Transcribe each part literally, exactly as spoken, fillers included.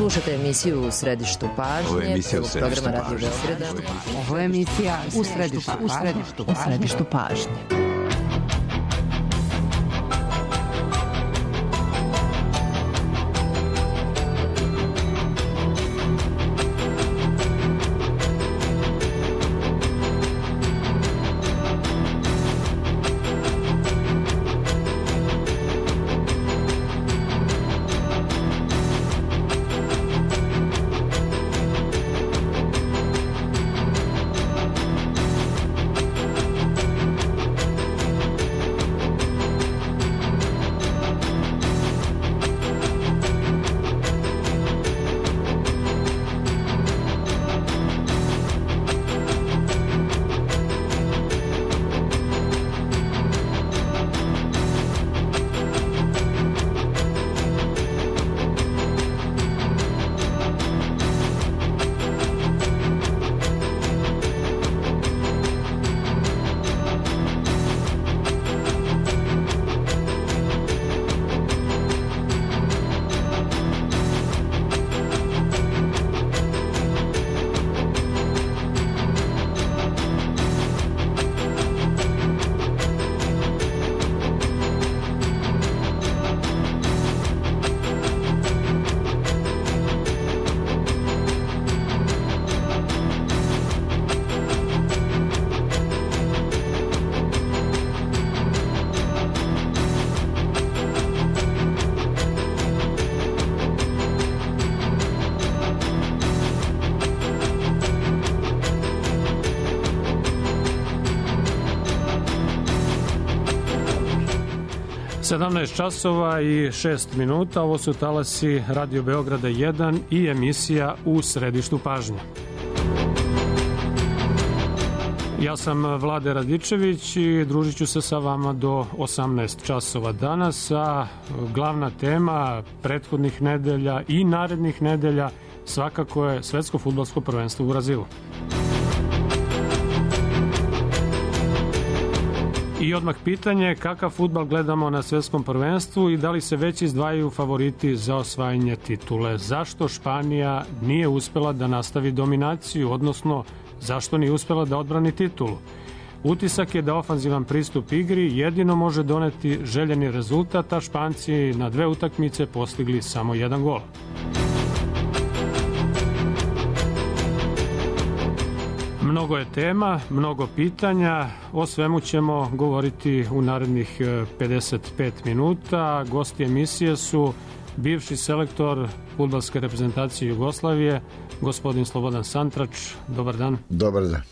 Slušate emisiju U središtu pažnje. Ovo je emisija U središtu pažnje. Ovo je emisija U središtu, u središtu, u središtu pažnje. sedamnaest časova i šest minuta, ovo su talasi Radio Beograda jedan i emisija U središtu pažnje. Ja sam Vlade Radičević i družit ću se sa vama do osamnaest časova danas, a glavna tema prethodnih nedelja i narednih nedelja svakako je Svetsko fudbalsko prvenstvo u Brazilu. I odmah pitanje, kakav fudbal gledamo na svetskom prvenstvu i da li se već izdvajaju favoriti za osvajanje titule? Zašto Španija nije uspela da nastavi dominaciju, odnosno zašto nije uspela da odbrani titulu? Utisak je da ofanzivan pristup igri jedino može doneti željeni rezultat, a Španci na dve utakmice postigli samo jedan gol. Mnogo je tema, mnogo pitanja, o svemu ćemo govoriti u narednih pedeset pet minuta. Gosti emisije su bivši selektor fudbalske reprezentacije Jugoslavije, gospodin Slobodan Santrač. Dobar dan. Dobar dan.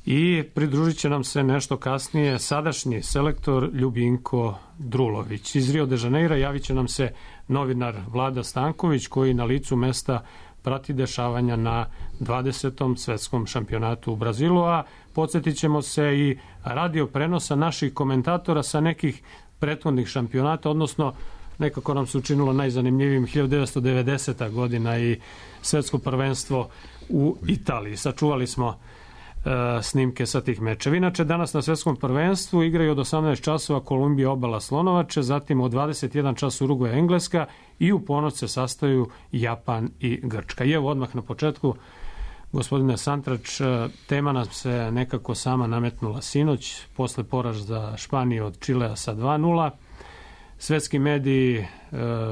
I pridružit će nam se nešto kasnije sadašnji selektor Ljubinko Drulović. Iz Rio de Janeira javit će nam se novinar Vlada Stanković, koji na licu mesta prati dešavanja na dvadesetom svetskom šampionatu u Brazilu, a podsjetit ćemo se i radio prenosa naših komentatora sa nekih prethodnih šampionata, odnosno nekako nam se učinilo najzanimljivijim hiljadu devetsto devedeseta godina i svetsko prvenstvo u Italiji. Sačuvali smo e, snimke sa tih mečeva. Inače, danas na svetskom prvenstvu igraju od osamnaest časova Kolumbija, Obala, Slonovače, zatim od dvadeset jedan čas Urugvaj, Engleska i u ponoć se sastaju Japan i Grčka. I evo odmah na početku, gospodine Santrač, tema nam se nekako sama nametnula sinoć, posle poraza Španije od Čilea sa dva nula. Svetski mediji e,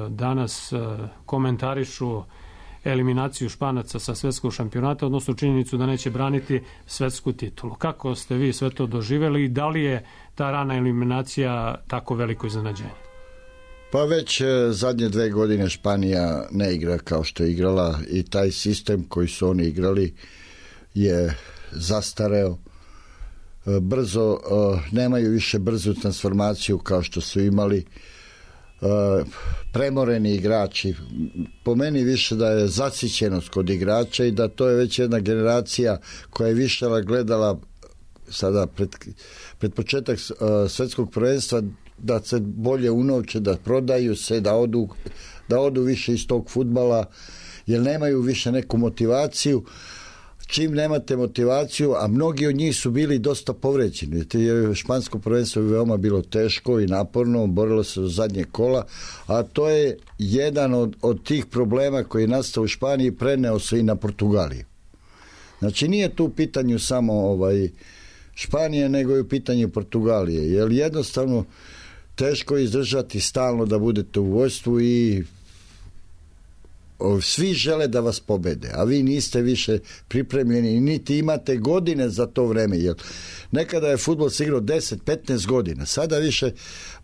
danas e, komentarišu eliminaciju Španaca sa svetskog šampionata, odnosno činjenicu da neće braniti svetsku titulu. Kako ste vi sve to doživjeli i da li je ta rana eliminacija tako veliko iznenađenje? Pa već zadnje dve godine Španija ne igra kao što je igrala i taj sistem koji su oni igrali je zastareo. Brzo, nemaju više brzu transformaciju kao što su imali. Premoreni igrači, po meni više da je zasićenost kod igrača i da to je već jedna generacija koja je više gledala sada pred, pred početak svetskog prvenstva da se bolje unovče, da prodaju se, da odu, da odu više iz tog fudbala, jer nemaju više neku motivaciju. čim nemate motivaciju, a mnogi od njih su bili dosta povređeni. Špansko prvenstvo je veoma bilo teško i naporno, borilo se do zadnje kola, a to je jedan od, od tih problema koji je nastao u Španiji, preneo se i na Portugaliju. Znači nije tu u pitanju samo ovaj, Španije, nego i u pitanju Portugalije, jer jednostavno teško je izdržati stalno da budete u vojstvu i svi žele da vas pobede, a vi niste više pripremljeni, niti imate godine za to vreme, jer nekada je fudbal se igrao deset do petnaest godina, sada više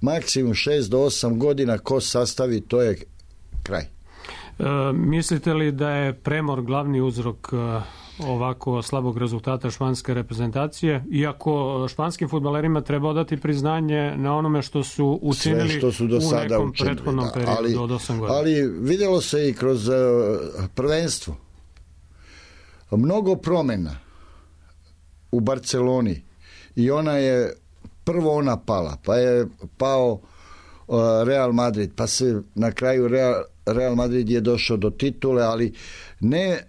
maksimum šest do osam godina ko sastavi, to je kraj. E, mislite li da je premor glavni uzrok ovako slabog rezultata španske reprezentacije, iako španskim fudbalerima treba dati priznanje na onome što su učinili sve što su do u sada nekom učinili, prethodnom da, periodu ali, od osam godina. Ali vidjelo se i kroz uh, prvenstvo. Mnogo promjena u Barceloni i ona je prvo ona pala, pa je pao uh, Real Madrid, pa se na kraju Real, Real Madrid je došao do titule, ali ne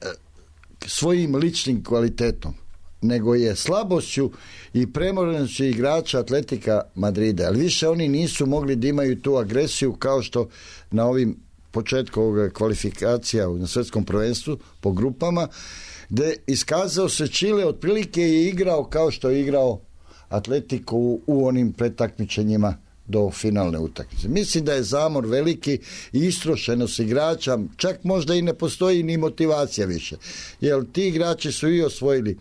svojim ličnim kvalitetom, nego je slabošću i premorenošću igrača Atletika Madrida. Ali više oni nisu mogli da imaju tu agresiju kao što na ovim početku ovoga kvalifikacija na svjetskom prvenstvu po grupama, gdje iskazao se Čile, otprilike je igrao kao što je igrao Atletico u, u onim pretakmičenjima do finalne utakmice. Mislim da je zamor veliki i istrošenost igrača, čak možda i ne postoji ni motivacija više. Jer ti igrači su i osvojili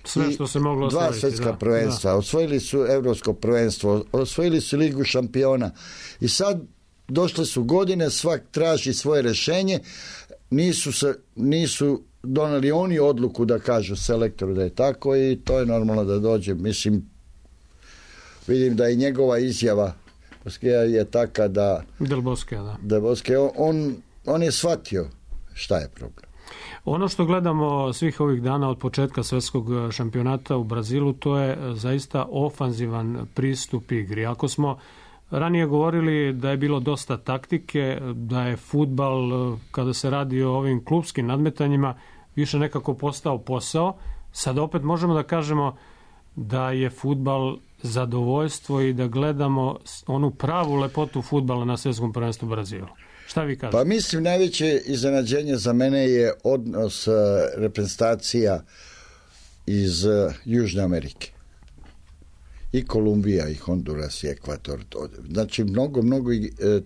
sve što se moglo dva osvojiti, svjetska da, prvenstva, da. Osvojili su Europsko prvenstvo, osvojili su Ligu šampiona i sad došle su godine, svak traži svoje rješenje, nisu, se, nisu doneli oni odluku da kažu selektoru da je tako i to je normalno da dođe. Mislim, vidim da i njegova izjava Boskija je taka da Del Bosque, da. Del Bosque, on, on je shvatio šta je problem. Ono što gledamo svih ovih dana od početka svjetskog šampionata u Brazilu, to je zaista ofanzivan pristup igri. Ako smo ranije govorili da je bilo dosta taktike, da je fudbal, kada se radi o ovim klupskim nadmetanjima, više nekako postao posao, sad opet možemo da kažemo da je fudbal zadovoljstvo i da gledamo onu pravu lepotu fudbala na svjetskom prvenstvu u Brazilu. Šta vi kažete? Pa mislim, najveće iznenađenje za mene je odnos uh, reprezentacija iz uh, Južne Amerike. I Kolumbija, i Honduras, i Ekvator. Znači, mnogo, mnogo uh,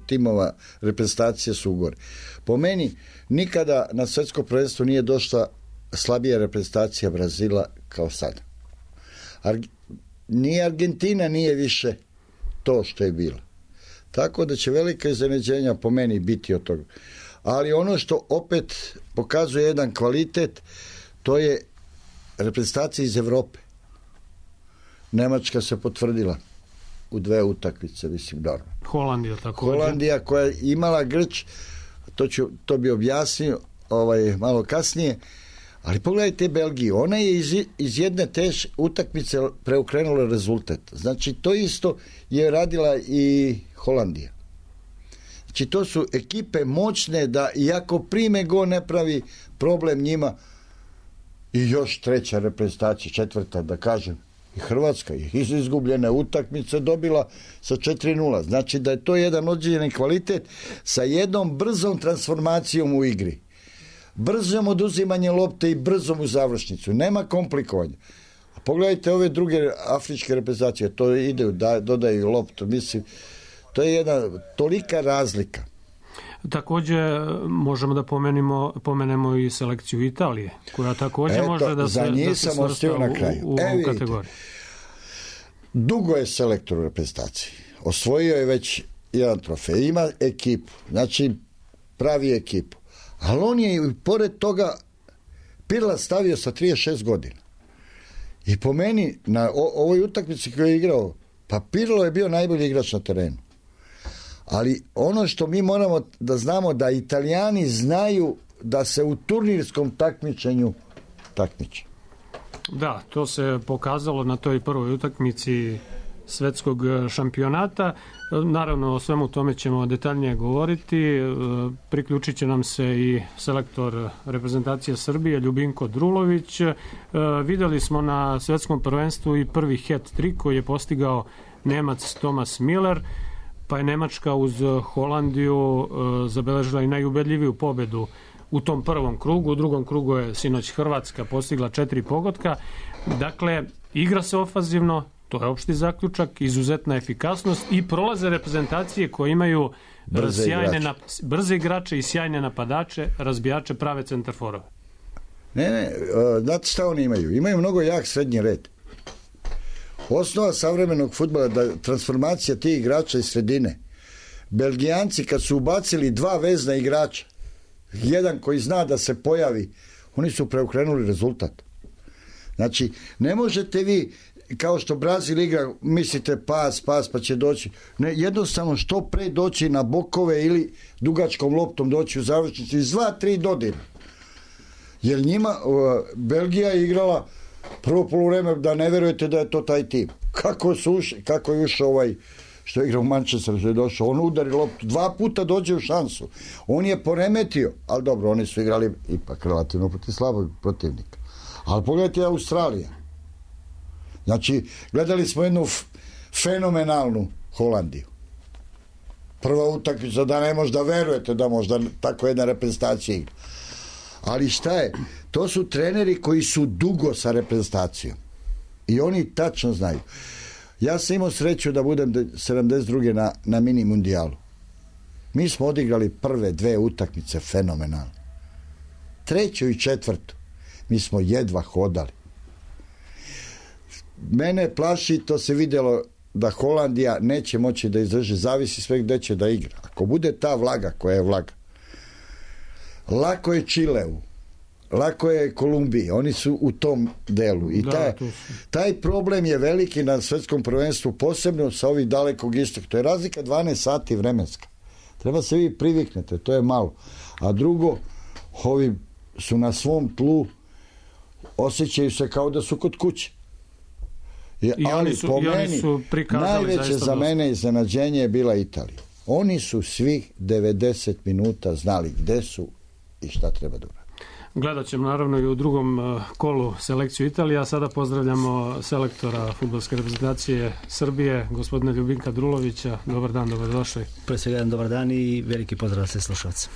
timova reprezentacije su ugore. Po meni, nikada na svjetsko prvenstvo nije došla slabija reprezentacija Brazila kao sada. Arg- Ni Argentina nije više to što je bilo. Tako da će velika iznenađenja po meni biti od toga. Ali ono što opet pokazuje jedan kvalitet, to je reprezentacija iz Evrope. Nemačka se potvrdila u dve utakmice, mislim, dobro. Holandija tako. Holandija koja je imala grč, to, ću, to bi objasnio ovaj, malo kasnije, ali pogledajte Belgiju, ona je iz, iz jedne teš utakmice preokrenula rezultat. Znači, to isto je radila i Holandija. Znači, to su ekipe moćne da, iako prime go, ne pravi problem njima. I još treća reprezentacija, četvrta, da kažem, i Hrvatska je iz izgubljene utakmice dobila sa četiri nula. Znači, da je to jedan određeni kvalitet sa jednom brzom transformacijom u igri. Brzom oduzimanje lopte i brzom u završnicu. Nema komplikovanja. A pogledajte ove druge afričke reprezentacije, to ide, da, dodaju loptu, mislim, to je jedna tolika razlika. Također možemo da pomenemo, pomenemo i selekciju Italije, koja također Eto, može da se, da se svrsta u, na kraju. u, u e, ovu kategoriju. Dugo je selektor u reprezentaciji. Osvojio je već jedan trofej. Ima ekipu, znači pravi ekipu. Ali on je, pored toga, Pirla stavio sa trideset šest godina. I po meni, na o, ovoj utakmici koju je igrao, pa Pirlo je bio najbolji igrač na terenu. Ali ono što mi moramo da znamo, da Italijani znaju da se u turnirskom takmičenju takmiče. Da, to se pokazalo na toj prvoj utakmici svetskog šampionata. Naravno, o svemu tome ćemo detaljnije govoriti. Priključit će nam se i selektor reprezentacije Srbije, Ljubinko Drulović. Videli smo na svetskom prvenstvu i prvi hat-trick koji je postigao Nemac Thomas Müller, pa je Nemačka uz Holandiju zabeležila i najubedljiviju pobedu u tom prvom krugu. U drugom krugu je sinoć Hrvatska postigla četiri pogotka. Dakle, igra se ofanzivno, to je opšti zaključak, izuzetna efikasnost i prolaze reprezentacije koje imaju brze sjajne igrače. Na, brze igrače i sjajne napadače, razbijače, prave centarforove. Ne, ne, znate šta oni imaju? Imaju mnogo jak srednji red. Osnova savremenog fudbala da transformacija tih igrača iz sredine. Belgijanci kad su ubacili dva vezna igrača, jedan koji zna da se pojavi, oni su preokrenuli rezultat. Znači, ne možete vi, kao što Brazil igra, mislite pas, pas, pa će doći. Ne, jednostavno što pre doći na bokove ili dugačkom loptom doći u završnicu iz dva, tri dodira. Jer njima, uh, Belgija je igrala prvo poluvreme da ne verujete da je to taj tim. Kako, su uši, kako je ušao ovaj što je igrao u Manchesteru, što je došao, on udari loptu, dva puta dođe u šansu. On je poremetio, ali dobro, oni su igrali ipak relativno protiv slabog protivnika. Ali pogledajte Australija. Znači, gledali smo jednu f- fenomenalnu Holandiju. Prva utakmica da ne možda verujete da možda tako jedna reprezentacija igra. Ali šta je? To su treneri koji su dugo sa reprezentacijom. I oni tačno znaju. Ja sam imao sreću da budem sedamdeset druge na, na mini mundijalu. Mi smo odigrali prve dve utakmice fenomenalno. Treću i četvrtu mi smo jedva hodali. Mene plaši, to se vidjelo da Holandija neće moći da izdrži, zavisi sve gde će da igra. Ako bude ta vlaga koja je vlaga, lako je Čileu, lako je Kolumbiji, oni su u tom delu. I da, taj, taj problem je veliki na svetskom prvenstvu, posebno sa ovih dalekog istoka. To je razlika dvanaest sati vremenska. Treba se vi priviknete, to je malo. A drugo, ovi su na svom tlu, osjećaju se kao da su kod kuće. I, I ali su, po i meni, su najveće za mene iznenađenje je bila Italija. Oni su svih devedeset minuta znali gde su i šta treba da urade. Gledat ćemo naravno i u drugom kolu selekciju Italije, a sada pozdravljamo selektora fudbalske reprezentacije Srbije, gospodina Ljubinka Drulovića. Dobar dan, dobrodošli. Pre svega jedan dobar dan i veliki pozdrav sve slušalce.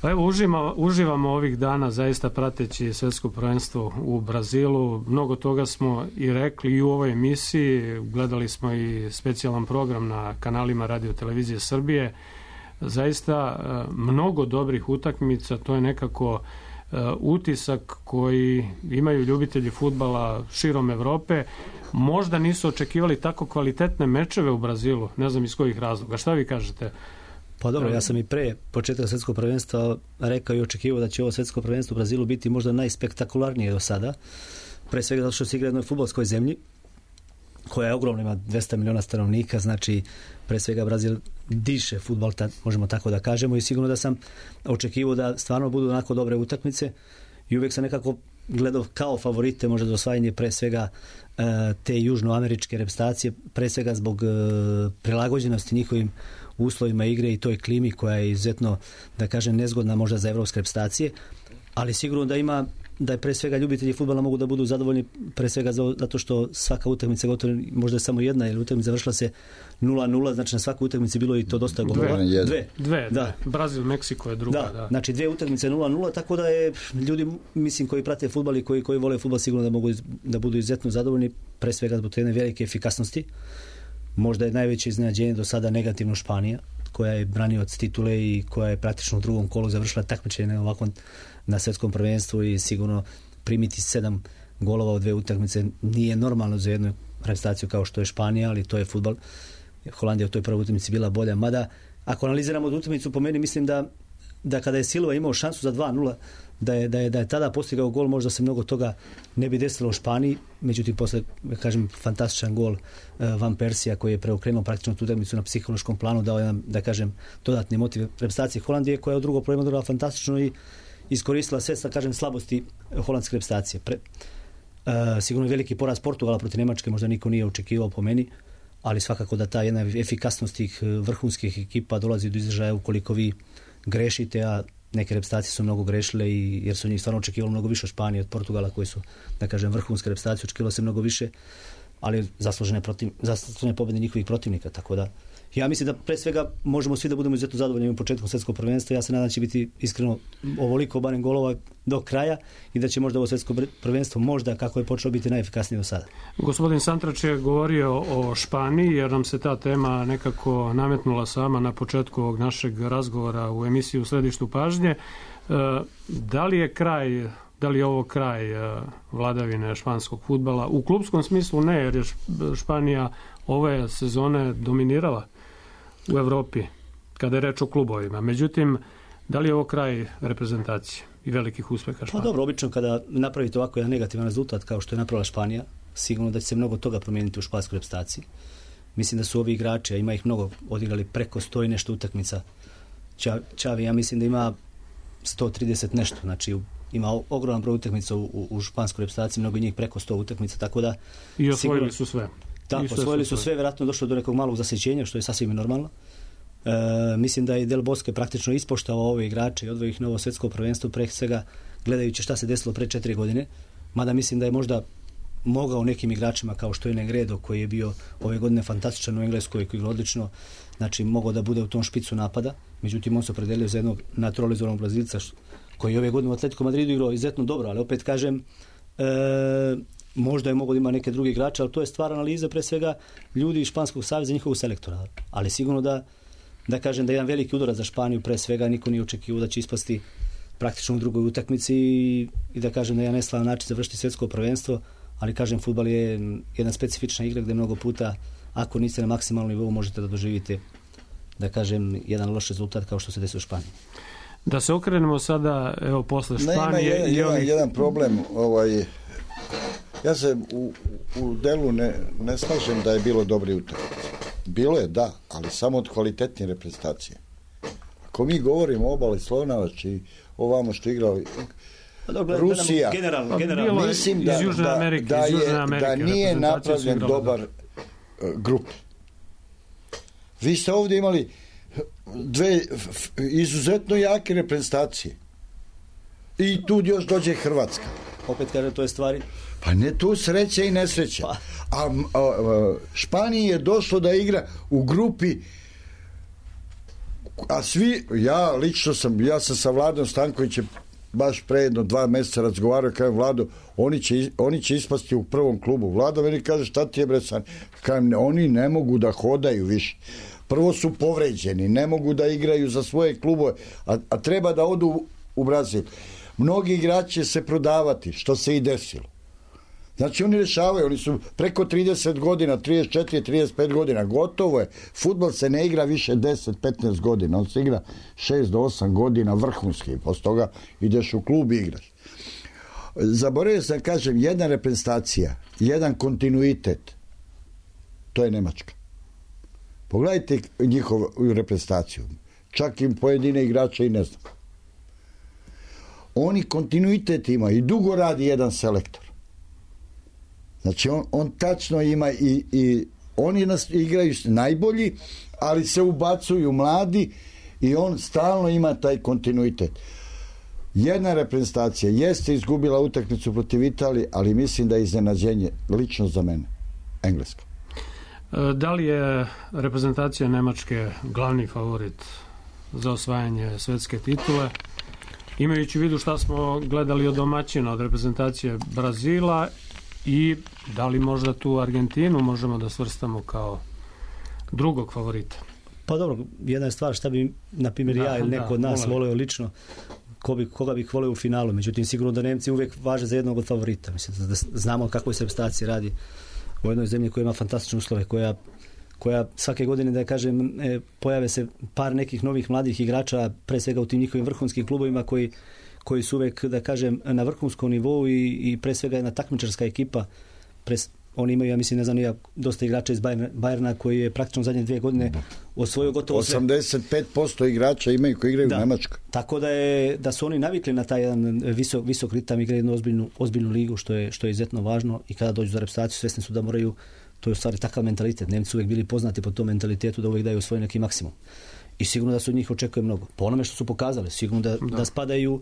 Pa evo, uživamo, uživamo ovih dana zaista prateći svetsko prvenstvo u Brazilu. Mnogo toga smo i rekli i u ovoj emisiji. Gledali smo i specijalan program na kanalima Radio Televizije Srbije. Zaista mnogo dobrih utakmica, to je nekako utisak koji imaju ljubitelji fudbala širom Evrope. Možda nisu očekivali tako kvalitetne mečeve u Brazilu, ne znam iz kojih razloga. Šta vi kažete? Pa dobro, ja sam i pre početka svetskog prvenstva rekao i očekivao da će ovo svetsko prvenstvo u Brazilu biti možda najspektakularnije do sada. Pre svega zato što se igra u jednoj fudbalskoj zemlji koja je ogromna, ima dvesta miliona stanovnika, znači pre svega Brazil diše fudbal, možemo tako da kažemo, i sigurno da sam očekivao da stvarno budu onako dobre utakmice i uvijek sam nekako gledao kao favorite možda za osvajanje pre svega te južnoameričke reprezentacije, pre svega zbog prilagođenosti njihovim uslovima igre i toj klimi koja je izuzetno, da kažem, nezgodna možda za evropske reprezentacije, ali sigurno da ima, da je pre svega ljubitelji fudbala mogu da budu zadovoljni pre svega zato što svaka utakmica gotovo možda je samo jedna, jer utakmica završila se nula nula, znači na svakoj utakmici bilo i to dosta golova. Dve, dve, dve, da. Brazil, Meksiko je druga. Da, da. Znači dve utakmice nula nula, tako da je ljudi, mislim, koji prate fudbal i koji, koji vole fudbal sigurno da mogu da budu izuzetno zadovoljni, pre svega zbog jedne velike efikasnosti. Možda je najveće iznenađenje do sada negativno Španija, koja je branioc titule i koja je praktično u drugom kolu završila takmičenje ovako na svetskom prvenstvu i sigurno primiti sedam golova u dve utakmice nije normalno za jednu reprezentaciju kao što je Španija, ali to je fudbal. Holandija u toj prvoj utakmici bila bolja, mada ako analiziramo utakmicu, po meni mislim da, da kada je Silva imao šansu za dva nula, da je, da je, da je tada postigao gol, možda se mnogo toga ne bi desilo u Španiji, međutim posle, kažem, fantastičan gol uh, Van Persija koji je preokrenuo praktično tu utakmicu na psihološkom planu, dao jedan, da kažem, dodatni motiv reprezentacije Holandije, koja je u drugom problemu dala fantastično i iskoristila sve, da kažem, slabosti holandske reprezentacije. Pre, uh, sigurno je veliki poraz Portugala protiv Nemačke, možda niko nije očekivao po meni, ali svakako da ta jedna efikasnost tih vrhunskih ekipa dolazi do izražaja ukoliko vi grešite, a neke reprezentacije su mnogo grešile i, jer su njih stvarno očekivalo mnogo više od Španije, od Portugala koji su, da kažem, vrhunske reprezentacije, očekivalo se mnogo više, ali zaslužene, protiv, zaslužene pobjede njihovih protivnika, tako da ja mislim da pre svega možemo svi da budemo izuzetno zadovoljni u početku svjetskog prvenstva. Ja se nadam da će biti iskreno ovoliko barem golova do kraja i da će možda ovo svjetsko prvenstvo možda kako je počelo biti najefikasnije do sada. Gospodin Santrač je govorio o Španiji jer nam se ta tema nekako nametnula sama na početku ovog našeg razgovora u emisiji U središtu pažnje. Da li je kraj Da li je ovo kraj vladavine španskog fudbala? U klupskom smislu ne, jer je Španija ove sezone dominirala u Evropi kada je reč o klubovima. Međutim, da li je ovo kraj reprezentacije i velikih uspeha Španije? Pa dobro, obično kada napravite ovako jedan negativan rezultat kao što je napravila Španija, sigurno da će se mnogo toga promijeniti u španskoj reprezentaciji. Mislim da su ovi igrači, a ima ih mnogo, odigrali preko sto i nešto utakmica. Čavi, ja mislim da ima sto trideset nešto, znači ima ogroman broj utakmica u, u, u španskoj reprezentaciji, mnogo njih preko sto utakmica, tako da... I osvojili sigurno, su sve. Tako, osvojili su sve, vjerojatno došlo do nekog malog zasjećenja, što je sasvim normalno. E, mislim da je Del Bosque praktično ispoštavao ove igrače i odvojio ih na ovo svjetsko prvenstvo, pre svega gledajući šta se desilo pre četiri godine, mada mislim da je možda mogao nekim igračima kao što je Negredo, koji je bio ove godine fantastičan u Engleskoj, koji je odlično, znači mogao da bude u tom špicu napada, međutim on se opredelio za jednog naturalizovanog Brazilca, koji je ove godine u Atletico Madridu igrao izuzetno dobro, ali opet kažem, e, možda je mogao da ima neke druge igrače, ali to je stvar analiza pre svega ljudi iz Španskog saveza, njihovog selektora. Ali sigurno da, da kažem da je jedan veliki udarac za Španiju, pre svega niko nije očekivao da će ispasti praktično u drugoj utakmici i, i da kažem da je neslavan način završiti svjetsko prvenstvo, ali kažem, fudbal je jedna specifična igra gdje mnogo puta, ako niste na maksimalnom nivou, možete da doživite, da kažem, jedan loš rezultat kao što se desi u Španiji. Da se okrenemo sada, evo, posle Španije... Ne, ima jedan, jedan, jedan problem, ovaj, ja se u, u delu ne, ne slažem da je bilo dobri utakmice. Bilo je, da, ali samo od kvalitetne reprezentacije. Ako mi govorimo o Obali Slonovač i ovamo što igrao Dobro, Rusija, generalno, generalno. mislim da, iz Južne Amerike, da, da, iz Južne je, Amerike, da nije napravljen dobar uh, grup. Vi ste ovdje imali dve f, izuzetno jake reprezentacije. I tu još dođe Hrvatska. Opet kažem, to je stvari. Pa ne, tu sreća i nesreća. Pa. A, a, a Španiji je došlo da igra u grupi, a svi, ja lično sam, ja sam sa Vladom Stankovićem baš pre jedno dva mjeseca razgovarao, kažem, Vlado, oni će, oni će ispasti u prvom klubu. Vlada meni kaže, šta ti je, bre, san? Kažem, oni ne mogu da hodaju više. Prvo su povređeni, ne mogu da igraju za svoje klubove, a, a treba da odu u, u Brazil. Mnogi igrači će se prodavati, što se i desilo. Znači oni rešavaju, oni su preko trideset godina, trideset četiri trideset pet godina, gotovo je. Fudbal se ne igra više deset petnaest godina, on se igra šest do osam godina vrhunski, posle toga ideš u klub i igraš. Zaboravio sam, kažem, jedna reprezentacija, jedan kontinuitet, to je Nemačka. Pogledajte njihovu reprezentaciju, čak im pojedine igrače i ne znam. Oni kontinuitet ima i dugo radi jedan selektor. Znači on, on tačno ima i, i oni nas igraju najbolji, ali se ubacuju mladi i on stalno ima taj kontinuitet. Jedna reprezentacija jeste izgubila utakmicu protiv Italije, ali mislim da je iznenađenje lično za mene Engleska. Da li je reprezentacija Nemačke glavni favorit za osvajanje svetske titule? Imajući u vidu šta smo gledali od domaćina, od reprezentacije Brazila, i da li možda tu Argentinu možemo da svrstamo kao drugog favorita? Pa dobro, jedna je stvar šta bi, na primjer, ja ili neko da, od nas volio lično, ko bi, koga bih volio u finalu. Međutim, sigurno da Nemci uvijek važe za jednog od favorita. Mislim da znamo kako se reprezentaciji radi u jednoj zemlji koja ima fantastične uslove, koja, koja svake godine, da kažem, e, pojave se par nekih novih mladih igrača, pre svega u tim njihovim vrhunskim klubovima koji koji su uvek, da kažem, na vrhunskom nivou i, i pre svega jedna takmičarska ekipa. Pres, oni imaju, ja mislim, ne znam, ja, dosta igrača iz Bayerna, Bayerna koji je praktično zadnje dvije godine osvojio gotovo sve. osamdeset pet posto igrača imaju koji igraju da, u Nemačkoj. Tako da, je, da su oni navikli na taj jedan visok, visok ritam, igraju jednu ozbiljnu, ozbiljnu ligu, što je, što je izuzetno važno, i kada dođu za reprezentaciju svesni su da moraju To je u stvari takav mentalitet. Nemci su uvijek bili poznati po tom mentalitetu da uvijek daju svoj neki maksimum. I sigurno da se od njih očekuje mnogo. Po onome što su pokazali, sigurno da, da. da spadaju uh,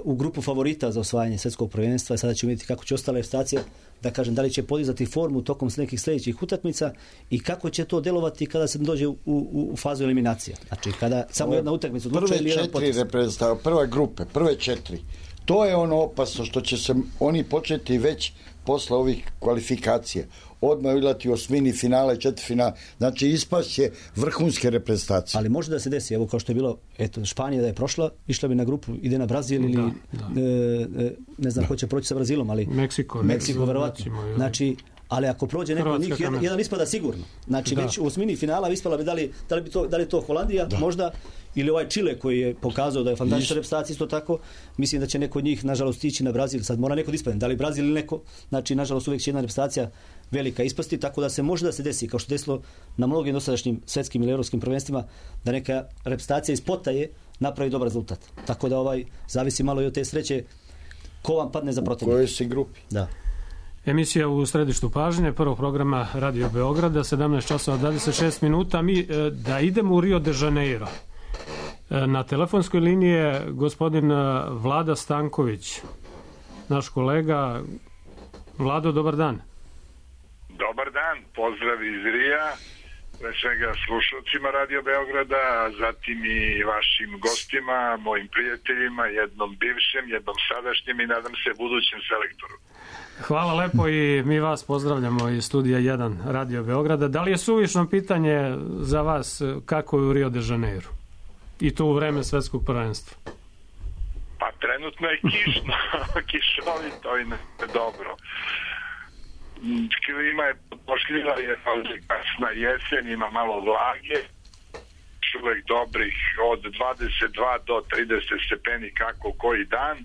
u grupu favorita za osvajanje svjetskog prvenstva. Sada ćemo vidjeti kako će ostale reprezentacije, da kažem, da li će podizati formu tokom nekih sljedećih utakmica i kako će to delovati kada se dođe u, u, u fazu eliminacija. Znači, kada samo jedna utakmica odlučuje ili jedan prve četiri reprezentacije, prve grupe, prve četiri. To je ono opasno što će se oni početi već posle ovih kvalifikacija. Odmah igrati osmini finala i četvrtfinala. Znači ispašće vrhunske reprezentacije. Ali može da se desi, evo kao što je bilo, eto, Španija da je prošla, išla bi na grupu, ide na Brazil ili da, da. E, ne znam ko će proći sa Brazilom, ali Meksiko, Meksiko verovatno. Znači, ali ako prođe neko od njih, jedan, jedan ispada sigurno. Znači da. Već u osmini finala ispala bi da li, da li, bi to, da li to Holandija, da. Možda, ili ovaj Čile koji je pokazao da je fantastična reprezentacija isto tako. Mislim da će neko od njih nažalost ići na Brazil. Sad mora neko da ispadne, da li Brazil ili neko. Znači nažalost uvijek će jedna reprezentacija velika ispasti, tako da se može da se desi, kao što desilo na mnogim dosadašnjim svetskim ili europskim prvenstvima, da neka reprezentacija iz potaje napravi dobar rezultat. Tako da ovaj zavisi malo i od te sreće ko vam padne za protivnika. U kojoj si grupi. Da. Emisija u središtu pažnje prvog programa Radio Beograda, sedamnaest časova dvadeset šest minuta. Mi da idemo u Rio de Janeiro. Na telefonskoj liniji je gospodin Vlada Stanković, naš kolega. Vlado, dobar dan. Dobar dan, pozdrav iz Rija, pre svega slušalcima Radio Beograda, a zatim i vašim gostima, mojim prijateljima, jednom bivšem, jednom sadašnjem i nadam se budućem selektoru. Hvala lepo i mi vas pozdravljamo iz studija jedan Radio Beograda. Da li je suvišno pitanje za vas kako je u Rio de Janeiro? I to u vreme svetskog prvenstva? Pa trenutno je kišno, kišovito i ne dobro. Klima je pošljiva, je kasna jesen, ima malo vlage, uvek dobrih od dvadeset dva do trideset stepeni kako koji dan.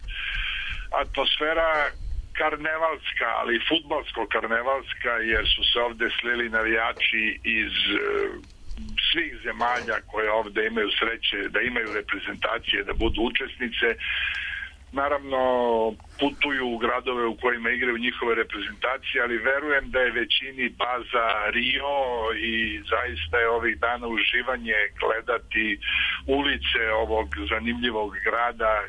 Atmosfera karnevalska, ali fudbalsko-karnevalska, jer su se ovde slili navijači iz svih zemalja koje ovde imaju sreće da imaju reprezentacije, da budu učesnice. Naravno, putuju u gradove u kojima igraju njihove reprezentacije, ali verujem da je većini baza Rio i zaista je ovih dana uživanje gledati ulice ovog zanimljivog grada,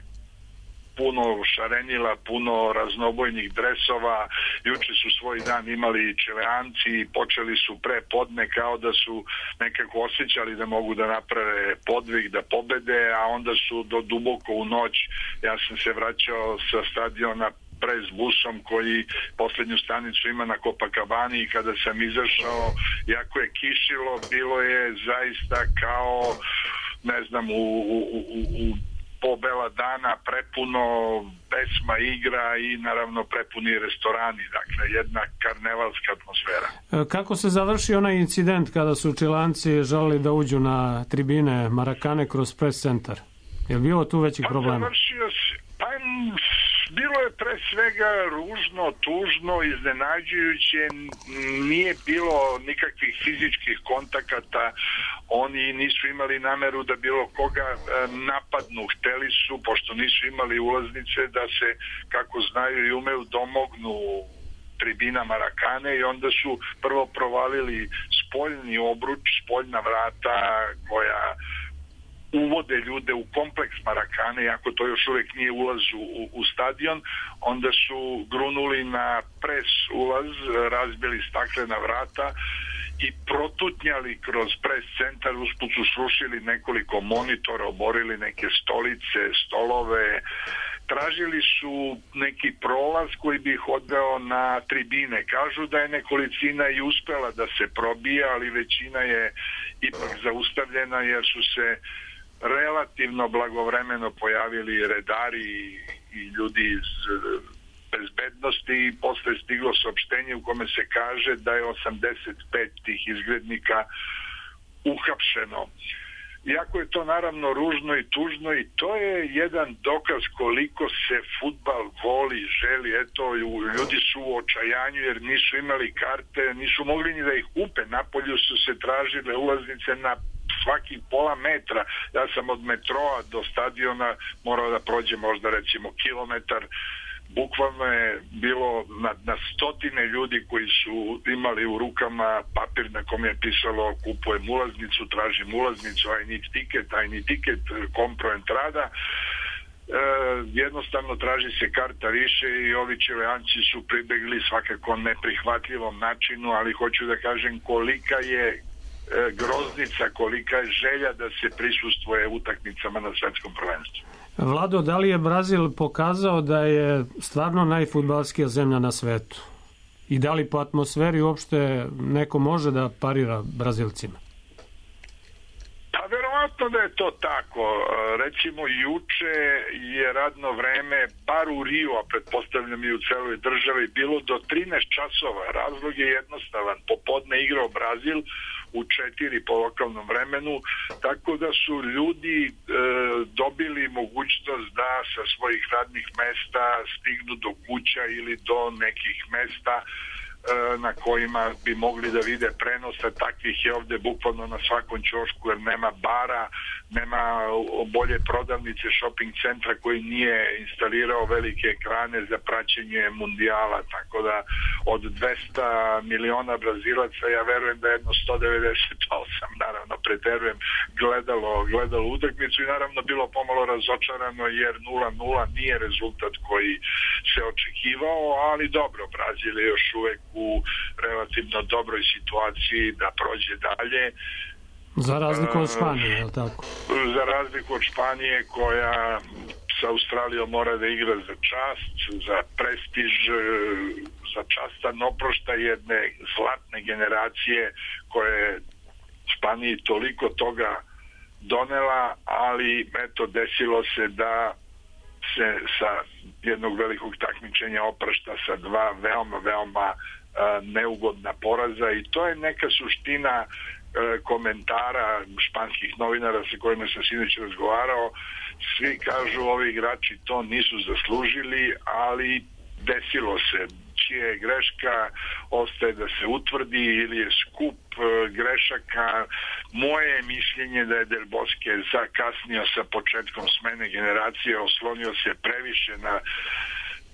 puno šarenila, puno raznobojnih dresova. Juče su svoj dan imali Čileanci i počeli su pre podne kao da su nekako osjećali da mogu da naprave podvig, da pobede, a onda su do duboko u noć, ja sam se vraćao sa stadiona pres busom koji poslednju stanicu ima na Copacabani i kada sam izašao, jako je kišilo, bilo je zaista kao, ne znam, u, u, u, u po bela dana prepuno, pesma, igra i naravno prepuni restorani, dakle jedna karnevalska atmosfera. Kako se završi onaj incident kada su Čilanci želeli da uđu na tribine Marakane kroz press centar? Je li bilo tu većih pa, problema? Završio se, pa bilo je pre svega ružno, tužno, iznenađujuće, nije bilo nikakvih fizičkih kontakata, oni nisu imali nameru da bilo koga napadnu, hteli su, pošto nisu imali ulaznice, da se, kako znaju i umeju, domognu tribina Marakane i onda su prvo provalili spoljni obruč, spoljna vrata koja uvode ljude u kompleks Marakane, iako to još uvijek nije ulaz u, u stadion, onda su grunuli na pres ulaz, razbili staklena vrata i protutnjali kroz pres centar, usput su srušili nekoliko monitora, oborili neke stolice, stolove, tražili su neki prolaz koji bi ih odveo na tribine. Kažu da je nekolicina i uspela da se probija, ali većina je ipak zaustavljena jer su se relativno blagovremeno pojavili redari i ljudi iz bezbednosti i posle stiglo saopštenje u kome se kaže da je osamdeset pet tih izgrednika uhapšeno. Iako je to naravno ružno i tužno i to je jedan dokaz koliko se fudbal voli, želi. Eto, ljudi su u očajanju jer nisu imali karte, nisu mogli ni da ih kupe. Napolju su se tražile ulaznice na svaki pola metra. Ja sam od metroa do stadiona morao da prođem možda recimo kilometar bukvalno je bilo na, na stotine ljudi koji su imali u rukama papir na kom je pisalo kupujem ulaznicu, tražim ulaznicu, I need ticket, I need ticket, compro entrada. E, jednostavno traži se karta više i ovi Čileanci su pribegli svakako neprihvatljivom načinu, ali hoću da kažem kolika je e, groznica, kolika je želja da se prisustvuje utakmicama na svetskom prvenstvu. Vlado, da li je Brazil pokazao da je stvarno najfudbalskija zemlja na svetu? I da li po atmosferi uopšte neko može da parira Brazilcima? Pa verovatno da je to tako. Recimo juče je radno vreme bar u Riju, a pretpostavljam i u celoj državi, bilo do trinaest časova. Razlog je jednostavan. Popodne igrao Brazil u četiri po lokalnom vremenu, tako da su ljudi e, dobili mogućnost da sa svojih radnih mesta stignu do kuća ili do nekih mesta na kojima bi mogli da vide prenose. Takvih je ovde bukvalno na svakom ćošku, jer nema bara, nema bolje prodavnice, shopping centra koji nije instalirao velike ekrane za praćenje mundijala, tako da od dvesta miliona Brazilaca ja verujem da jedno sto devedeset osam, naravno preterujem, gledalo, gledalo utakmicu i naravno bilo pomalo razočarano jer nula nula nije rezultat koji se očekivao, ali dobro, Brazil je još uvek u relativno dobroj situaciji da prođe dalje. Za razliku od Španije, je li tako? Za razliku od Španije koja sa Australijom mora da igra za čast, za prestiž, za častan oproštaj jedne zlatne generacije koje je Španiji toliko toga donela, ali eto desilo se da se sa jednog velikog takmičenja oprašta sa dva veoma, veoma neugodna poraza i to je neka suština komentara španskih novinara sa kojima sam sinoć razgovarao. Svi kažu ovi igrači to nisu zaslužili, ali desilo se. Čija je greška ostaje da se utvrdi ili je skup grešaka. Moje je mišljenje da je Del Bosque zakasnio sa početkom smene generacije, oslonio se previše na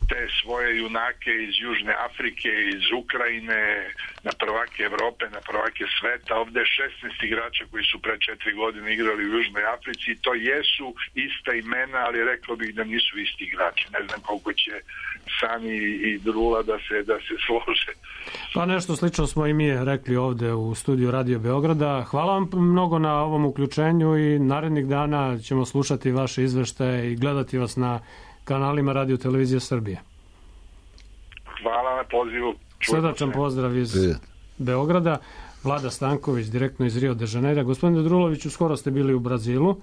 te svoje junake iz Južne Afrike, iz Ukrajine, na prvake Evrope, na prvake sveta. Ovde je šesnaest igrača koji su pre četiri godine igrali u Južnoj Africi. To jesu ista imena, ali rekao bih da nisu isti igrači. Ne znam koliko će Sani i Drula da se, da se slože. Pa nešto slično smo i mi rekli ovde u studiju Radio Beograda. Hvala vam mnogo na ovom uključenju i narednih dana ćemo slušati vaše izveštaje i gledati vas na kanalima Radio Televizije Srbije. Hvala na pozivu. Srdačan pozdrav iz Beograda. Vlada Stanković, direktno iz Rio de Janeira. Gospodine Druloviću, skoro ste bili u Brazilu,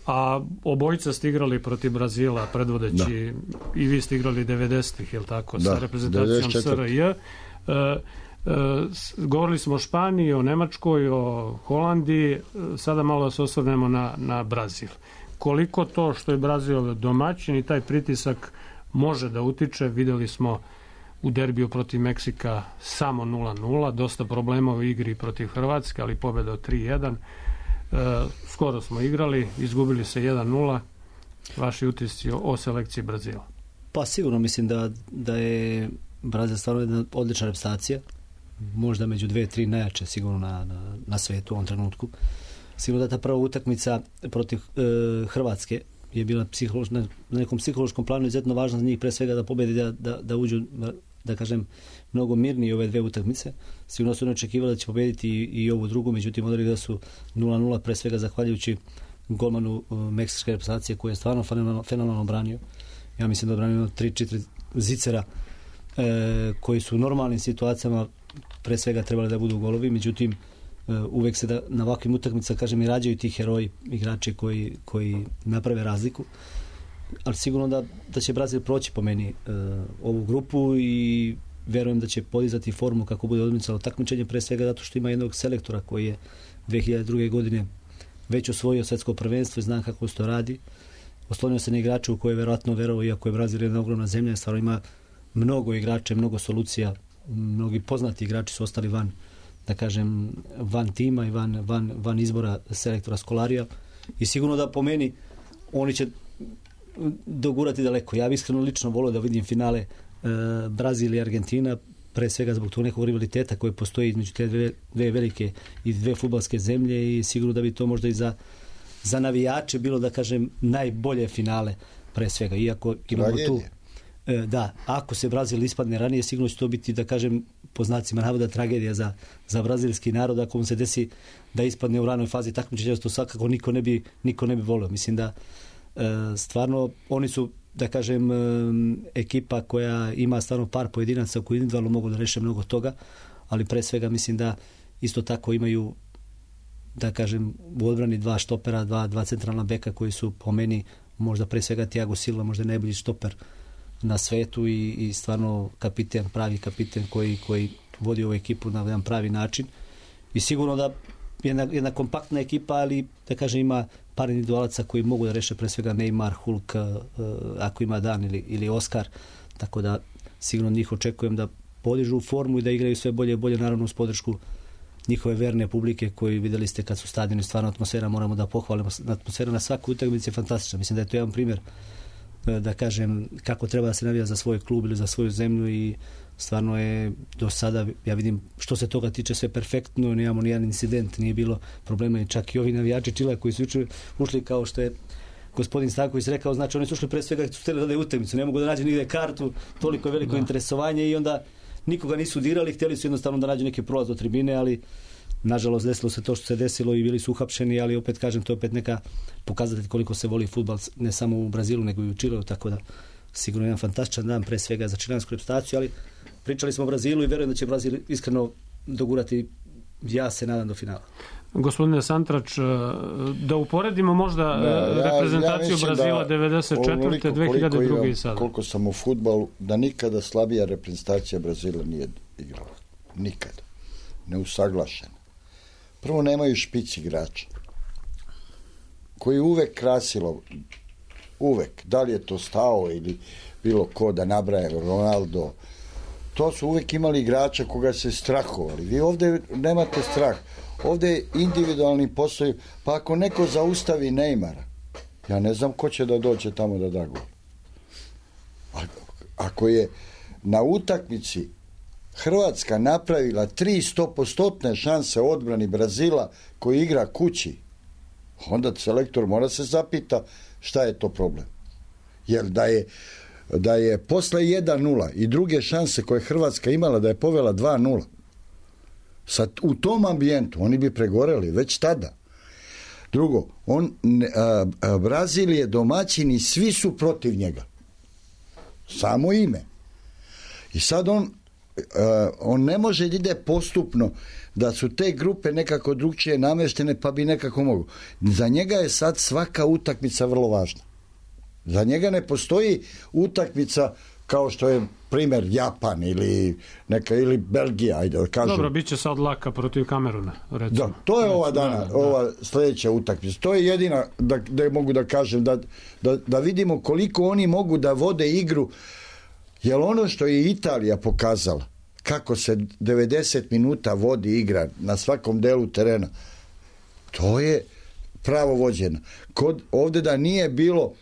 a obojica ste igrali protiv Brazila, predvodeći, da. I vi ste igrali devedesetih, je li tako, da, sa reprezentacijom S R J. E, e, govorili smo o Španiji, o Nemačkoj, o Holandiji, sada malo da se osvrnemo na, na Brazil. Koliko to što je Brazil domaćin i taj pritisak može da utiče, videli smo u derbiju protiv Meksika samo nula nula, dosta problema u igri protiv Hrvatske, ali pobjeda od tri jedan. E, skoro smo igrali, izgubili se jedan nula. Vaši utisci o, o selekciji Brazila? Pa sigurno mislim da, da je Brazil stvarno jedna odlična reprezentacija, možda među dve, tri najjače sigurno na, na, na svetu u ovom trenutku. Sigurno da ta prva utakmica protiv e, Hrvatske je bila na nekom psihološkom planu izuzetno važna za njih, pre svega da pobedi, da, da, da uđu, da kažem, mnogo mirnije ove dve utakmice. Sigurno su ne očekivali da će pobediti i, i ovu drugu, međutim odali da su nula nula, pre svega zahvaljujući golmanu uh, meksičke reprezentacije koji je stvarno fenomenalno, fenomenalno branio. Ja mislim da je branio tri četiri zicera e, koji su u normalnim situacijama pre svega trebali da budu golovi, međutim uvek se da na ovakvim utakmicama, kažem, i rađaju ti heroji, igrači koji, koji naprave razliku, ali sigurno da, da će Brazil proći po meni uh, ovu grupu i verujem da će podizati formu kako bude odmicalo takmičenje, pre svega zato što ima jednog selektora koji je dve hiljade druge. godine već osvojio svetsko prvenstvo i zna kako se to radi. Oslonio se na igrača u koje je verovatno verovao, iako je Brazil jedna ogromna zemlja, stvarno ima mnogo igrača, mnogo solucija, mnogi poznati igrači su ostali van, da kažem, van tima i van, van, van izbora selektora Skolarija i sigurno da po meni oni će dogurati daleko. Ja bih iskreno lično volio da vidim finale e, Brazil i Argentina, pre svega zbog tog nekog rivaliteta koji postoji između te dve, dve velike i dve fudbalske zemlje i sigurno da bi to možda i za, za navijače bilo, da kažem, najbolje finale pre svega. Iako imamo tu... E, da, ako se Brazil ispadne ranije, sigurno će to biti, da kažem, po znacima navoda tragedija za, za brazilski narod, ako mu se desi da ispadne u ranoj fazi takmičenja, to svakako niko ne bi, niko ne bi volio. Mislim da e, stvarno oni su, da kažem, ekipa koja ima stvarno par pojedinaca koji individualno mogu da reše mnogo toga, ali pre svega mislim da isto tako imaju, da kažem, u odbrani dva štopera, dva, dva centralna beka koji su po meni možda pre svega Thiago Silva, možda najbolji štoper na svetu i, i stvarno kapiten, pravi kapiten koji, koji vodi ovu ekipu na jedan pravi način. I sigurno da jedna, jedna kompaktna ekipa, ali da kažem ima par individualaca koji mogu da reše pre svega Neymar, Hulk, uh, ako ima dan ili, ili Oskar, tako da sigurno njih očekujem da podižu formu i da igraju sve bolje i bolje, naravno uz podršku njihove verne publike koji videli ste kad su stadioni, stvarno atmosfera, moramo da pohvalimo, atmosfera na svakoj utakmici je fantastična. Mislim da je to jedan primjer, da kažem, kako treba da se navija za svoj klub ili za svoju zemlju i stvarno je do sada, ja vidim, što se toga tiče sve perfektno, nemamo nijedan incident, nije bilo problema i čak i ovi navijači Čila koji su ušli, ušli kao što je gospodin Stanković rekao, znači oni su ušli pre svega su htjeli da daju utakmicu, ne mogu da nađu nigde kartu, toliko je veliko da. interesovanje i onda nikoga nisu dirali, htjeli su jednostavno da nađu neki prolaz do tribine, ali nažalost desilo se to što se desilo i bili su uhapšeni, ali opet kažem, to je opet neka pokazatelj koliko se voli fudbal ne samo u Brazilu nego i u Čileu, tako da sigurno jedan fantastičan dan pre svega za čilansku reprezentaciju, ali pričali smo o Brazilu i verujem da će Brazil iskreno dogurati, ja se nadam, do finala. Gospodine Santrač, da uporedimo možda ne, ja, reprezentaciju ja Brazila devedeset četvrte dve hiljade druge i sada. Koliko sam u fudbalu, da nikada slabija reprezentacija Brazila nije igrala. Nikada. Neusaglašena. Prvo, nemaju špic igrača koji uvek krasilo, uvek, da li je to Stao ili bilo ko da nabraje, Ronaldo, to su uvek imali igrača koga se strahovali. Vi ovdje nemate strah. Ovdje je individualni posao, pa ako neko zaustavi Neymara, ja ne znam ko će da dođe tamo da da gol. Ako je na utakmici Hrvatska napravila tri stopostotne šanse odbrani Brazila koji igra kući, onda selektor mora se zapita šta je to problem. Jer da je, da je posle jedan nula i druge šanse koje Hrvatska imala da je povela dva nula, sad u tom ambijentu oni bi pregoreli već tada. Drugo, on, a, a, Brazil je domaćin i svi su protiv njega. Samo ime. I sad on Uh, on ne može da ide postupno, da su te grupe nekako drugčije nameštene pa bi nekako mogu. Za njega je sad svaka utakmica vrlo važna. Za njega ne postoji utakmica kao što je primjer Japan ili neka ili Belgija, ajde da kažem. Dobro, bit će sad laka protiv Kameruna, recimo. Da, to je recimo, ova dana, da, ova da. sljedeća utakmica. To je jedina da, da mogu da kažem da, da, da vidimo koliko oni mogu da vode igru. Jer ono što je Italija pokazala, kako se devedeset minuta vodi igra na svakom delu terena, to je pravo vođeno. Kod, ovdje da nije bilo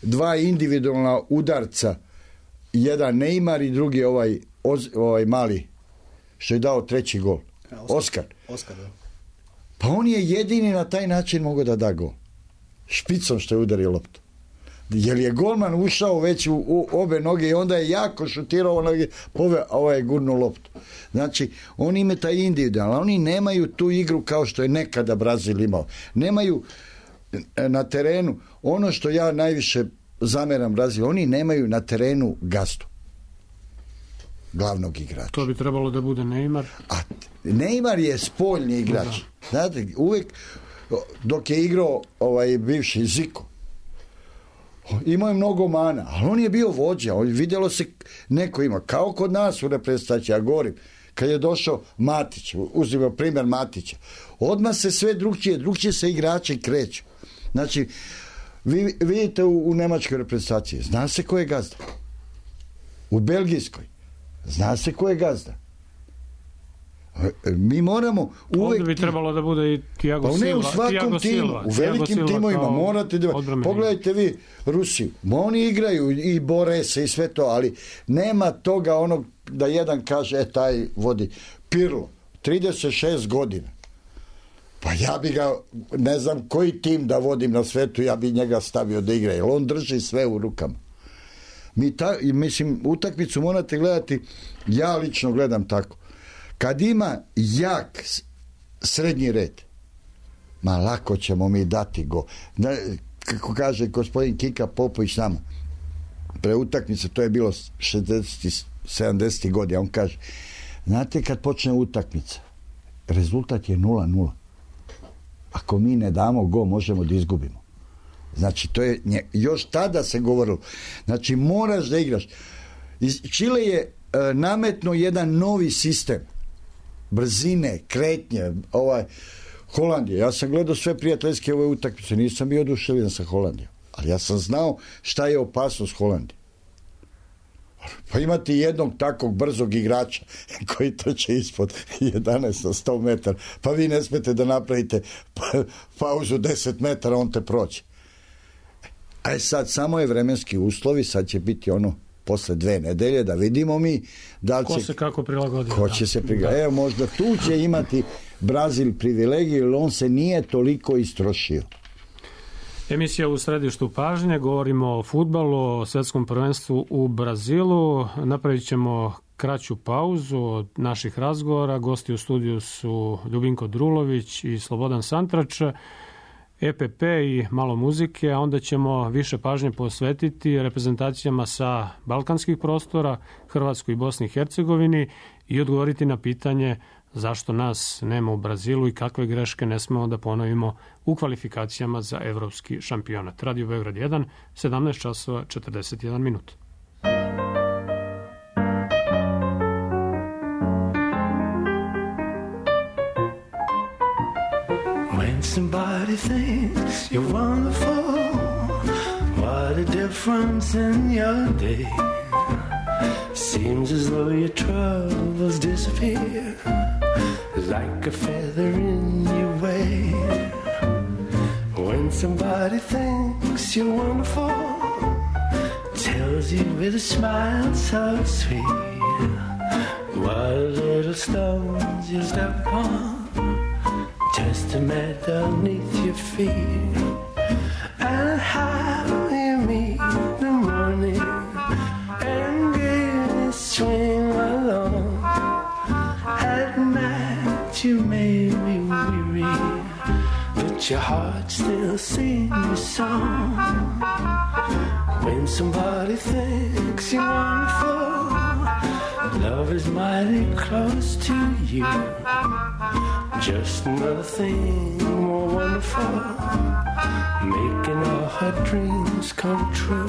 dva individualna udarca, jedan Neymar i drugi ovaj, ovaj mali, što je dao treći gol. Ja, Oskar. Oskar, da. Pa on je jedini na taj način mogao da da gol. Špicom što je udario loptu. Jer je golman ušao već u, u obe noge i onda je jako šutirao noge, pove, ovaj je gurnuo loptu. Znači, oni imaju taj individualno, oni nemaju tu igru kao što je nekada Brazil imao. Nemaju na terenu, ono što ja najviše zameram Brazil, oni nemaju na terenu gazdu. Glavnog igrača. To bi trebalo da bude Neymar. A Neymar je spoljni igrač. Da. Znate, uvek, dok je igrao ovaj bivši Zico, imao je mnogo mana, ali on je bio vođa, on vidjelo se neko ima, kao kod nas u reprezentaciji, ja govorim, kad je došao Matić, uzimao primjer Matića, odmah se sve drugčije, drugčije se igrači kreću. Znači, vi vidite u, u nemačkoj reprezentaciji, zna se ko je gazda. U belgijskoj, zna se ko je gazda. Mi moramo uvek... Ovdje bi trebalo da bude i Thiago pa Silva. Ne, u svakom timu, u velikim timovima morate da... Pogledajte vi Rusiju, oni igraju i bore se i sve to, ali nema toga onog da jedan kaže, e, taj vodi. Pirlo, trideset šest godina. Pa ja bi ga, ne znam koji tim da vodim na svetu, ja bi njega stavio da igra, jer on drži sve u rukama. Mi ta, mislim, utakmicu morate gledati, ja lično gledam tako. Kad ima jak srednji red, ma lako ćemo mi dati go. Da, kako kaže gospodin Kika Popović nama, pre utakmice, to je bilo šezdesetih sedamdesetih godina, on kaže, znate kad počne utakmica, rezultat je nula nula. Ako mi ne damo go, možemo da izgubimo. Znači, to je, još tada se govorilo, znači moraš da igraš. Čile je e, nametno jedan novi sistem brzine, kretnje, ovaj Holandija. Ja sam gledao sve prijateljske ove utakmice, nisam bio oduševljen sa Holandijom, ali ja sam znao šta je opasnost Holandije. Pa imate jednog takvog brzog igrača koji trče ispod jedanaest na sto metara, pa vi ne smete da napravite pa, pauzu deset metara, on te proći. A sad samo je vremenski uslovi, sad će biti ono posle dve nedelje da vidimo mi da li će... Ko se kako prilagodi. Ko će se prilagoditi. Evo, možda tu će imati Brazil privilegiju, jer on se nije toliko istrošio. Emisija u središtu pažnje, govorimo o fudbalu, o svjetskom prvenstvu u Brazilu. Napravit ćemo kraću pauzu od naših razgovora. Gosti u studiju su Ljubinko Drulović i Slobodan Santrač. E P P i malo muzike, a onda ćemo više pažnje posvetiti reprezentacijama sa balkanskih prostora, Hrvatskoj i Bosni i Hercegovini i odgovoriti na pitanje zašto nas nema u Brazilu i kakve greške ne smemo da ponovimo u kvalifikacijama za evropski šampionat. Radio Beograd jedan, sedamnaest časova četrdeset jedan minut. When somebody thinks you're wonderful, what a difference in your day. Seems as though your troubles disappear like a feather in your way. When somebody thinks you're wonderful, tells you with a smile so sweet, what little stones you step upon, just to met underneath your feet. And how you meet the morning and get swing along. At night you may be weary, but your heart still sings a song. When somebody thinks you're wonderful, love is mighty close to you. Just another thing more wonderful, making all her dreams come true.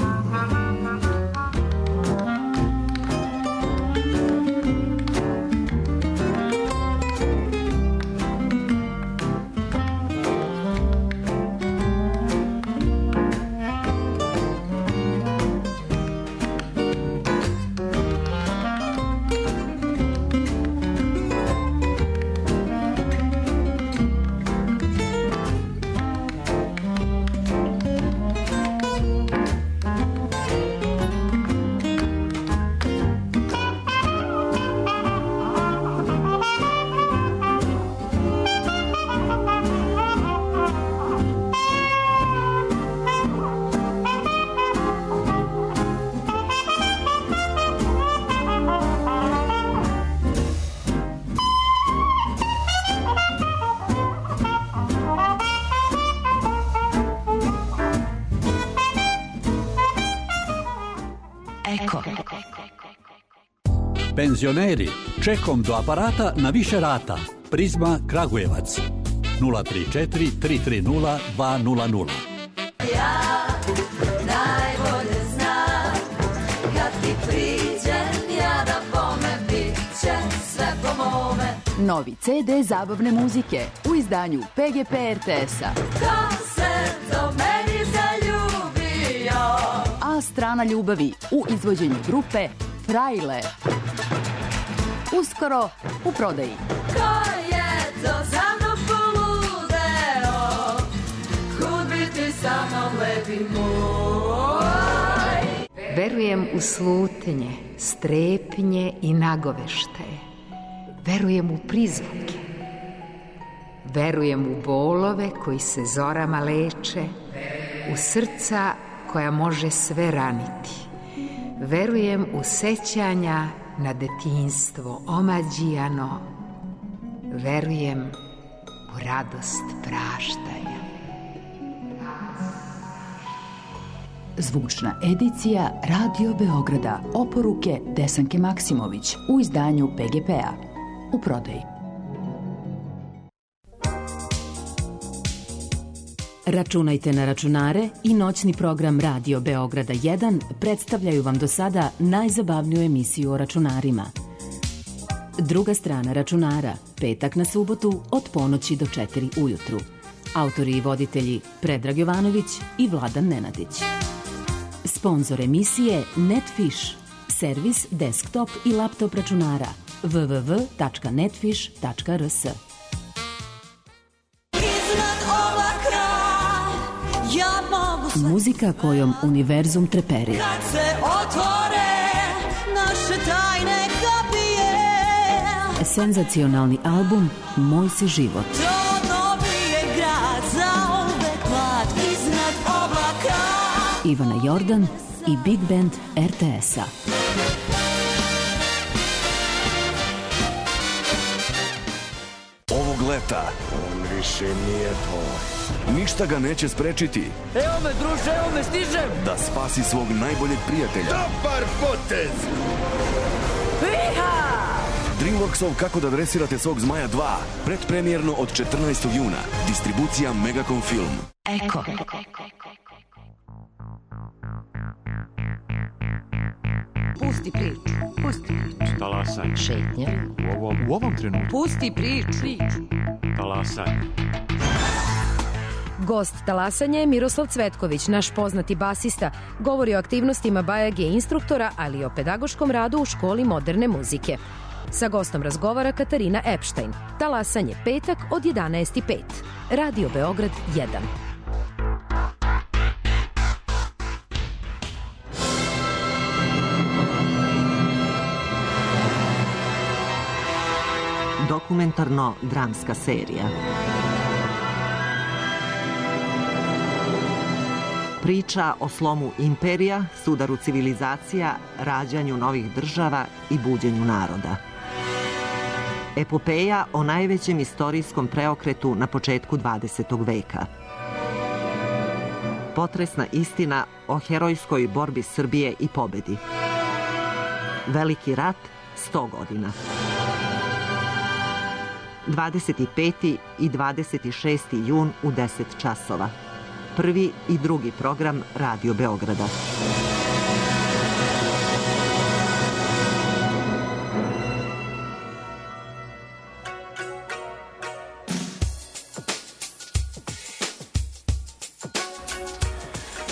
Penzioneri, čekom do aparata na više rata. Prizma Kragujevac. nula tri četiri tri tri nula dva nula nula. Ja najbolje znam, kad ti priđem, ja da bome, bit će sve po mome. Novi ce de zabavne muzike u izdanju P G P R T S-a. Ko se do meni zaljubio? A strana ljubavi u izvođenju grupe Frajle. Uskoro u prodaji. Ko sa mnom lepi moj. Verujem u slutnje, strepnje i nagoveštaje. Verujem u prizvuke. Verujem u bolove koji se zorama leče, u srca koja može sve raniti. Verujem u sećanja na detinjstvo omađijano. Verujem u radost praštanja. Zvučna edicija Radio Beograda. Oporuke Desanke Maksimović u izdanju P G P-a. U prodaji. Računajte na računare i noćni program Radio Beograda jedan predstavljaju vam do sada najzabavniju emisiju o računarima. Druga strana računara, petak na subotu od ponoći do četiri ujutru. Autori i voditelji Predrag Jovanović i Vladan Nenadić. Sponzor emisije Netfish, servis desktop i laptop računara w w w tačka netfish tačka r s. Muzika kojom univerzum treperi. Kad se otvore naše tajne kapije, Senzacionalni album Moj si život. to dobije grad za uvek mlad iznad oblaka. Ivana Jordan i Big Band R T S-a. Ovog leta on više nije tvoj. Ništa ga neće sprečiti. Evo me, druže, evo me, stižem! Da spasi svog najboljeg prijatelja. Dobar potez! Iha! Dreamworksov Kako da dresirate svog zmaja dva. Predpremjerno od četrnaestog juna. Distribucija Megacom Film. Eko. Pusti priču, pusti priču. Talasanje. Šetnja. U ovom, u ovom trenutku. Pusti priču. Talasanje. Gost talasanja je Miroslav Cvetković, naš poznati basista. Govori o aktivnostima Bajage instruktora, ali i o pedagoškom radu u školi moderne muzike. Sa gostom razgovara Katarina Epštajn. Talasanje petak od jedanaest i pet. Radio Beograd jedan. Dokumentarno-dramska serija. Priča o slomu imperija, sudaru civilizacija, rađanju novih država i buđenju naroda. Epopeja o najvećem istorijskom preokretu na početku dvadesetog veka. Potresna istina o herojskoj borbi Srbije i pobedi. Veliki rat, sto godina. dvadeset peti i dvadeset šesti jun u deset časova. Prvi i drugi program Radio Beograda.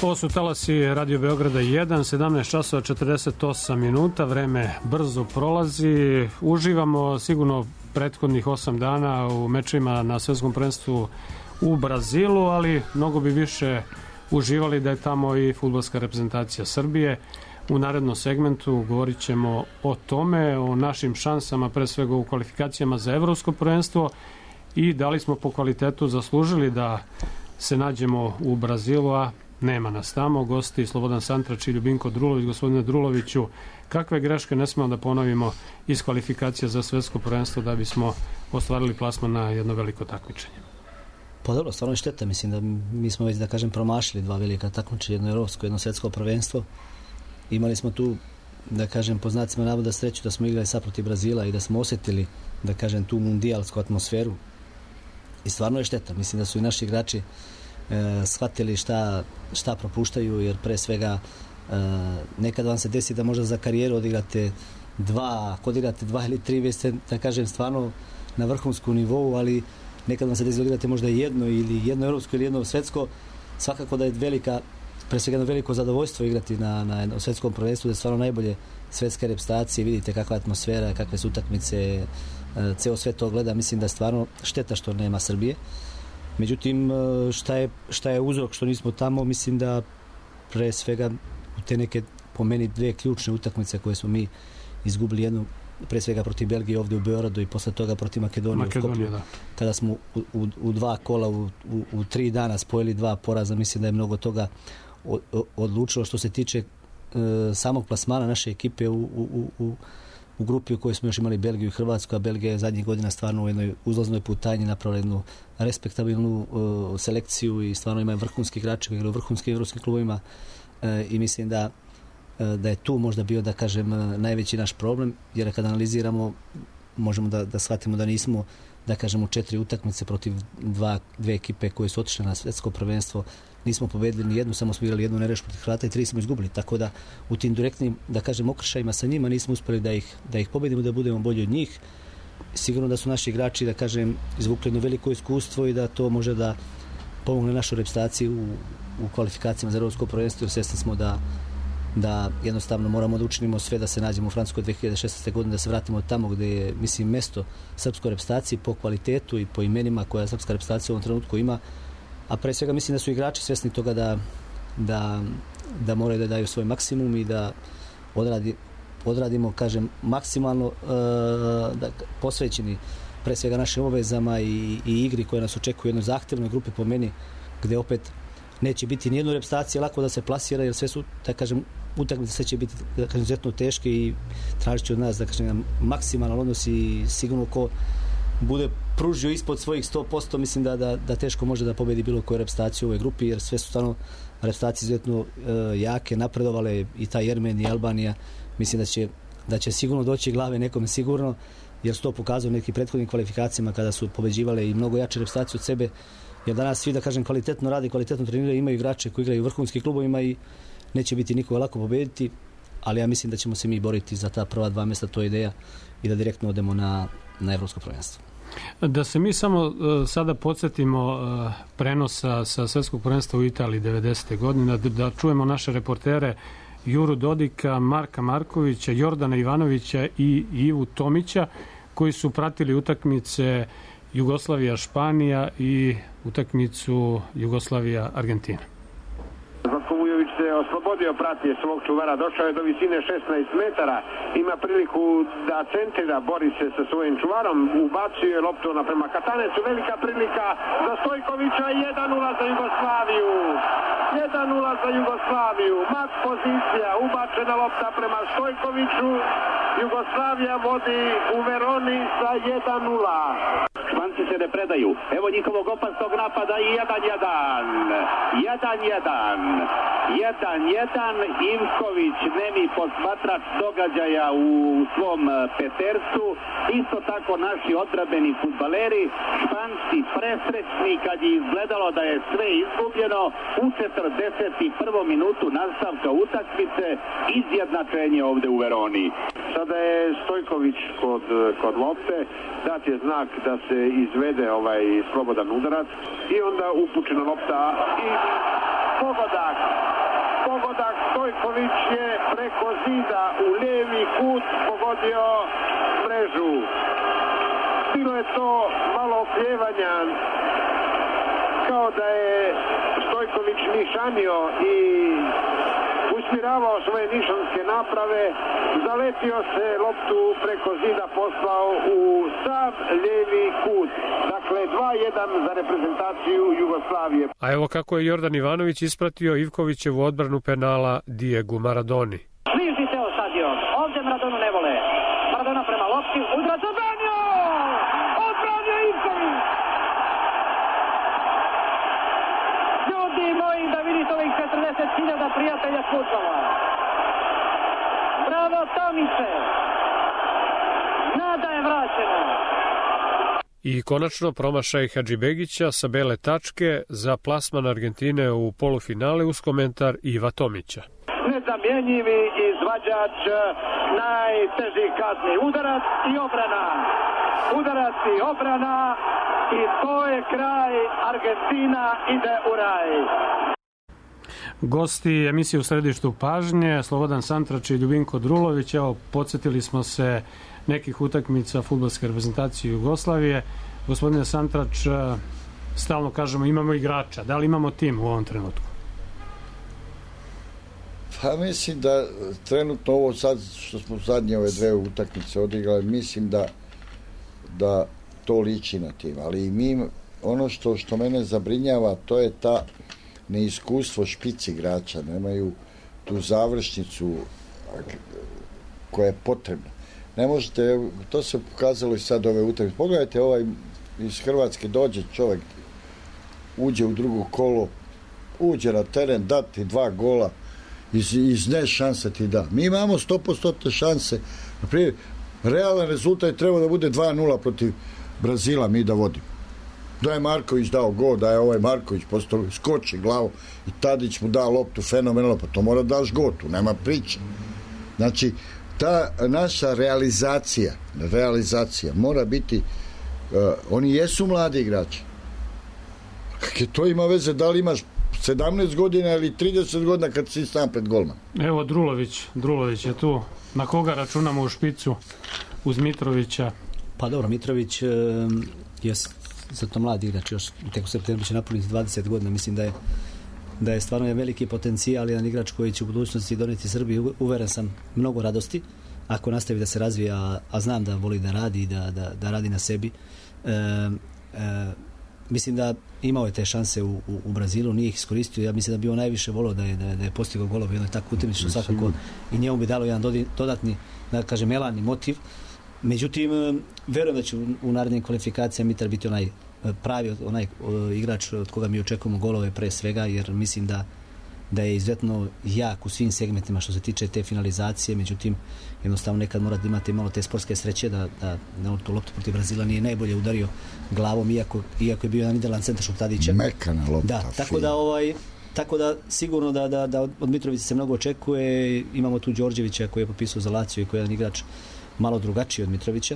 Ovo su talasi Radio Beograda jedan, sedamnaest časova četrdeset osam minuta, vreme brzo prolazi, uživamo sigurno prethodnih osam dana u mečima na svetskom prvenstvu u Brazilu, ali mnogo bi više uživali da je tamo i fudbalska reprezentacija Srbije. U narednom segmentu govorit ćemo o tome, o našim šansama, pre svega u kvalifikacijama za evropsko prvenstvo i da li smo po kvalitetu zaslužili da se nađemo u Brazilu, a nema nas tamo. Gosti Slobodan Santrač i Ljubinko Drulović. Gospodine Druloviću, kakve greške ne smemo da ponovimo iz kvalifikacija za svetsko prvenstvo da bismo ostvarili plasman na jedno veliko takmičenje? Pa dobro, stvarno je šteta. Mislim da mi smo već, da kažem, promašili dva velika takmičenja, jedno evropsko, jedno svetsko prvenstvo. Imali smo tu, da kažem, po znacima navoda sreću da smo igrali sad protiv Brazila i da smo osjetili, da kažem, tu mundijalsku atmosferu. I stvarno je šteta. Mislim da su i naši igrači e, shvatili šta, šta propuštaju, jer pre svega e, nekad vam se desi da možda za karijeru odigrate dva, ako odigrate dva ili tri, vi ste, da kažem, stvarno na vrhunsku nivou, ali nekad vam se desi da odigrate možda jedno ili jedno evropsko ili jedno svetsko. Svakako da je velika, pre svega jedno veliko zadovoljstvo igrati na, na jednom svetskom prvenstvu, da je stvarno najbolje svetske reprezentacije, vidite kakva je atmosfera, kakve su utakmice, ceo sve to gleda. Mislim da je stvarno šteta što nema Srbije. Međutim, šta je, šta je uzrok što nismo tamo, mislim da pre svega u te neke, po meni, dve ključne utakmice koje smo mi izgubili, jednu pre svega protiv Belgije ovdje u Beogradu i posle toga protiv Makedonije, Makedonije u Skoplju, da. Kada smo u, u, u dva kola u, u, u tri dana spojili dva poraza, mislim da je mnogo toga odlučilo. Što se tiče e, samog plasmana naše ekipe u, u, u, u grupi u kojoj smo još imali Belgiju i Hrvatsku, a Belgija je zadnjih godina stvarno u jednoj uzlaznoj putanji napravila jednu respektabilnu e, selekciju i stvarno imaju vrhunski igrači koji igraju u vrhunskim evropskim klubovima e, i mislim da da je tu možda bio, da kažem, najveći naš problem, jer kad analiziramo možemo da, da shvatimo da nismo, da kažem, u četiri utakmice protiv dva, dve ekipe koje su otišle na svetsko prvenstvo, nismo pobedili ni jednu, samo smo igrali jednu nereš protiv Hrvata i tri smo izgubili, tako da u tim direktnim, da kažem, okršajima sa njima nismo uspeli da ih, da ih pobedimo, da budemo bolji od njih. Sigurno da su naši igrači, da kažem, izvukli jedno veliko iskustvo i da to može da pomogne našoj reprezentaciji u, u kvalifikacijama za evropsko prvenstvo, jer svesni smo da da jednostavno moramo da učinimo sve da se nađemo u Francuskoj dve hiljade šesnaeste. godine, da se vratimo tamo gde je, mislim, mesto srpskoj reprezentaciji po kvalitetu i po imenima koja srpska reprezentacija u ovom trenutku ima, a pre svega mislim da su igrači svesni toga da, da, da moraju da daju svoj maksimum i da odradi, odradimo, kažem, maksimalno uh, da, posvećeni pre svega našim obavezama i, i igri koje nas očekuju u jednoj zahtevnoj grupi, po meni, gde opet neće biti nijedno reprezentacije lako da se plasira, jer sve su, da kažem, utakmice sve će biti, da kažem, izuzetno teške i tražit će od nas, da kažem, maksimalan odnos i sigurno ko bude pružio ispod svojih sto posto, mislim da, da, da teško može da pobedi bilo koju reprezentaciju u ovoj grupi, jer sve su stvarno reprezentacije izuzetno uh, jake, napredovale, i ta Jermen i Albanija, mislim da će, da će sigurno doći glave nekome sigurno, jer su to pokazali neki prethodnim kvalifikacijama kada su pobeđivale i mnogo jače reprezentacije od sebe, jer danas svi, da kažem, kvalitetno radi, kvalitetno treniraju, imaju igrače koji igraju u vrhunskim klubovima i neće biti nikoga lako pobediti, ali ja mislim da ćemo se mi boriti za ta prva dva mjesta, to je ideja, i da direktno odemo na, na evropsko prvenstvo. Da se mi samo uh, sada podsjetimo uh, prenosa sa svetskog prvenstva u Italiji devedesete. godine, da, da čujemo naše reportere Juru Dodika, Marka Markovića, Jordana Ivanovića i Ivu Tomića, koji su pratili utakmice Jugoslavija-Španija i utakmicu Jugoslavija-Argentina. Zlatko Vujović se oslobodio, prati svog čuvara, došao je do visine šesnaest metara, ima priliku da centrira, bori se sa svojim čuvarom, ubacio je loptu naprema Katanecu, velika prilika za Stojkovića, jedan nula za Jugoslaviju. jedan nula za Jugoslaviju, mat pozicija, ubačena lopta prema Stojkoviću, Jugoslavija vodi u Veroni sa jedan nula. Španci se ne predaju, evo njihovog opasnog napada i jedan jedan. jedan jedan. jedan jedan. Ivković, nemi posmatrač događaja u svom petercu, isto tako naši odbrambeni fudbaleri, Španci presrećni kad je izgledalo da je sve izgubljeno, u četrdeset prvu minutu nastavka utakmice, izjednačenje ovde u Veroni. Sada je Stojković kod, kod lopte, dat je znak da se izvede ovaj slobodan udarac i onda upućena lopta i pogodak. Pogodak, Stojković je preko zida u lijevi kut pogodio mrežu. Bilo je to malo okljevanja, kao da je Stojković nišanio i usmjeravao svoje nišanske naprave, zaletio se, loptu preko zida poslao u sav lijevi kut. Dakle, dva jedan za reprezentaciju Jugoslavije. A evo kako je Jordan Ivanović ispratio Ivkovićevu odbranu penala Diegu Maradoni. Bliži se osadio, ovdje Maradonu ne vole. Maradona prema lopti, udarac odbranio! Odbranio Ivković! Ljudi moji, da vidite ovih četrdeset hiljada prijatelja fudbala. Bravo Tomice! Nada je vraćena. I konačno promašaj Hadžibegića sa bele tačke za plasman Argentine u polufinale uz komentar Iva Tomića. Nezamjenjivi izvađač najtežih kazni. Udarac i obrana. Udarac i obrana i to je kraj. Argentina ide u raj. Gosti emisije U središtu pažnje, Slobodan Santrač i Ljubinko Drulović. Evo, podsjetili smo se nekih utakmica fudbalske reprezentacije Jugoslavije. Gospodine Santrač, stalno kažemo imamo igrača, da li imamo tim u ovom trenutku? Pa mislim da trenutno ovo sad što smo zadnje ove dve utakmice odigrali, mislim da da to liči na tim, ali i mi ono što, što mene zabrinjava, to je ta neiskustvo špic igrača, nemaju tu završnicu koja je potrebna. Ne možete, to se pokazalo i sad ove utakmice. Pogledajte, ovaj iz Hrvatske dođe čovjek, uđe u drugo kolo, uđe na teren, dati dva gola, iz, iz ne šanse ti da. Mi imamo sto posto šanse. Naprimjer, realan rezultat treba da bude dva nula protiv Brazila, mi da vodimo. Da je Marković dao gol, da je ovaj Marković postao, skoči glavu i Tadić mu da loptu fenomenalno, pa to mora daš gol, tu nema priče. Znači, ta naša realizacija, realizacija mora biti, uh, oni jesu mladi igrači. Kako to ima veze, da li imaš sedamnaest godina ili trideset godina kad si sam pred golman? Evo Drulović, Drulović je tu. Na koga računamo u špicu uz Mitrovića? Pa dobro, Mitrović um, je zato mladi igrač, još tek u septembru će napuniti dvadeset godina, mislim da je da je stvarno je veliki potencijal, jedan igrač koji će u budućnosti doneti Srbiji, uveren sam, mnogo radosti ako nastavi da se razvija, a, a znam da voli da radi, da, da, da radi na sebi. E, e, mislim da imao je te šanse u, u, u Brazilu, nije ih iskoristio, ja mislim da bi on najviše volio da je, da je, da je postigao golove, jedno je tako utakmično svakako i njemu bi dalo jedan dodatni, da kažem, elan motiv. Međutim, verujem da će u, u narednim kvalifikacijama Mitar biti onaj pravi onaj uh, igrač od koga mi očekujemo golove pre svega, jer mislim da da je izuzetno jak u svim segmentima što se tiče te finalizacije, međutim jednostavno nekad mora da imate malo te sportske sreće da, da na tu loptu protiv Brazila nije najbolje udario glavom, iako, iako je bio jedan idealan centaršut Tadića. Mekana lopta. Da, tako da ovaj tako da sigurno da, da, da od Mitrovića se mnogo očekuje. Imamo tu Đorđevića koji je potpisao za Lazio i koji je jedan igrač malo drugačiji od Mitrovića.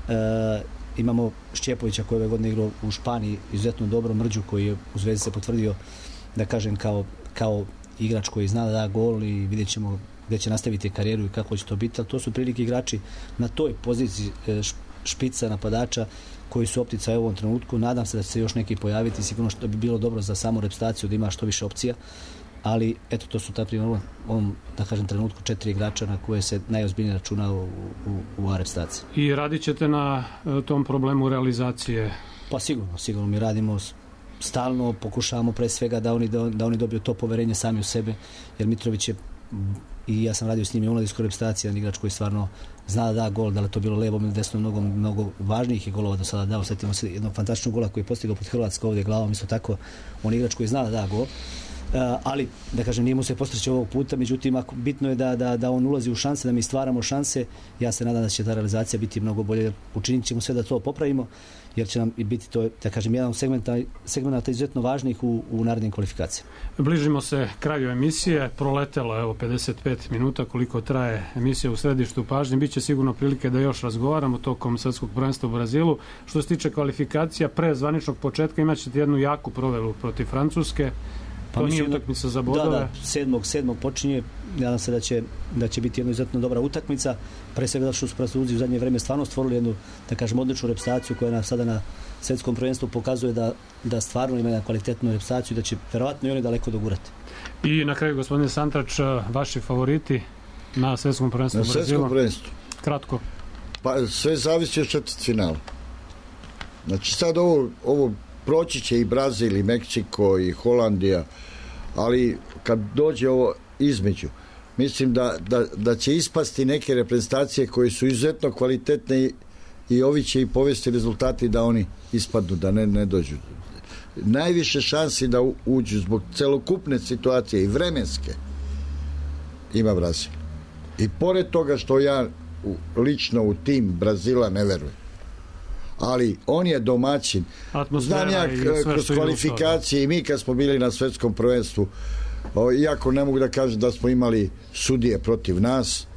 E, imamo Šćepovića koji je ove godine igrao u Španiji izuzetno dobro, Mrđu koji je u Zvezdi se potvrdio, da kažem, kao, kao igrač koji zna da da gol i vidjet ćemo gdje će nastaviti karijeru i kako će to biti, ali to su prilike igrači na toj poziciji špica napadača koji su optica u ovom trenutku. Nadam se da će se još neki pojaviti, sigurno što bi bilo dobro za samu reprezentaciju da ima što više opcija, ali eto, to su ta primjer u ovom, da kažem, trenutku četiri igrača na koje se najozbiljnije računa u, u, u reprezentaciji. I radit ćete na tom problemu realizacije? Pa sigurno, sigurno mi radimo stalno, pokušavamo pre svega da oni, da, da oni dobiju to poverenje sami u sebe, jer Mitrović je, i ja sam radio s njim i u mladinskoj reprezentaciji, jedan igrač koji stvarno zna da da gol, da li to bilo levom ili desnom, mnogo, mnogo važnijih je golova do sada dao. Sjetimo se jednog fantastičnog gola koji je postigao pod Hrvatskom ovdje glavom, isto tako, on igrač koji zna da da gol. Uh, ali, da kažem, nije mu se postići ovog puta, međutim, ako, bitno je da, da, da on ulazi u šanse, da mi stvaramo šanse. Ja se nadam da će ta realizacija biti mnogo bolje, učinit ćemo sve da to popravimo, jer će nam i biti to, da kažem, jedan segmenta, segmenta izuzetno važnih u, u narednim kvalifikacijama. Bližimo se kraju emisije, proletelo evo pedeset pet minuta koliko traje emisija u središtu pažnje, biće sigurno prilike da još razgovaramo tokom svjetskog prvenstva u Brazilu. Što se tiče kvalifikacija, pre zvaničnog početka imat ćete jednu jaku proveru protiv Francuske. Pa to nije utakmica za bodove. Da, da, sedmog, sedmog počinje. Nadam se da će, da će biti jedna izuzetno dobra utakmica. Pre svega da što su Francuzi u zadnje vreme stvarno stvorili jednu, da kažem, odličnu reprezentaciju koja na, sada na svjetskom prvenstvu pokazuje da, da stvarno ima kvalitetnu reprezentaciju, da će verovatno i oni daleko dogurati. I na kraju, gospodine Santrač, vaši favoriti na svjetskom prvenstvu u Brazilu? Na svjetskom prvenstvu? Kratko. Pa sve zavisi od četvrtfinala. Znači sad ovo, ovo proći će i Brazil, i Meksiko, i Holandija, ali kad dođe ovo između, mislim da, da, da će ispasti neke reprezentacije koje su izuzetno kvalitetne i, i ovi će i povesti rezultati da oni ispadnu, da ne, ne dođu. Najviše šansi da uđu zbog celokupne situacije i vremenske ima Brazil. I pored toga što ja u, lično u tim Brazila ne verujem, ali on je domaćin. Znam ja kroz kvalifikacije i mi kad smo bili na svjetskom prvenstvu, iako ne mogu da kažem da smo imali sudije protiv nas,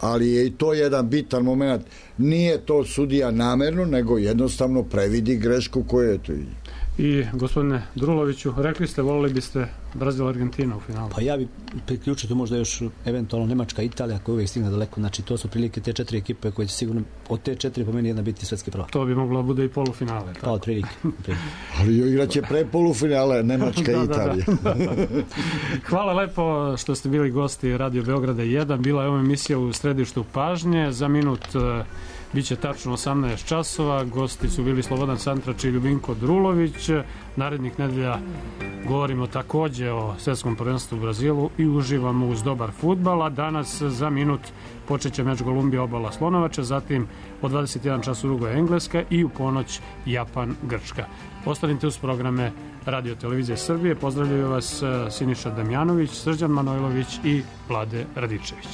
ali je i to jedan bitan moment. Nije to sudija namerno, nego jednostavno previdi grešku koju je to. I gospodine Druloviću, rekli ste, volili biste Brazil-Argentina u finalu. Pa ja bi priključio tu možda još eventualno Nemačka, Italija koja uvijek stigne daleko. Znači to su prilike te četiri ekipe koje će sigurno od te četiri po meni jedna biti svetski prvak. To bi moglo bude i polufinale. Pa od prilike. Ali igraće pre polufinale Nemačka i Italija. Da, da, da. Hvala lepo što ste bili gosti Radio Beograda jedan. Bila je ova emisija u središtu pažnje. Za minut biće tačno osamnaest časova. Gosti su bili Slobodan Santrač i Ljubinko Drulović. Narednih nedelja govorimo takođe o svetskom prvenstvu u Brazilu i uživamo uz dobar fudbal. A danas za minut počeće meč Kolumbija obala Slonovača, zatim od dvadeset jedan čas Urugvaj Engleska i u ponoć Japan Grčka. Ostanite uz programe Radio Televizije Srbije. Pozdravljaju vas Siniša Damjanović, Srđan Manojlović i Vlade Radičević.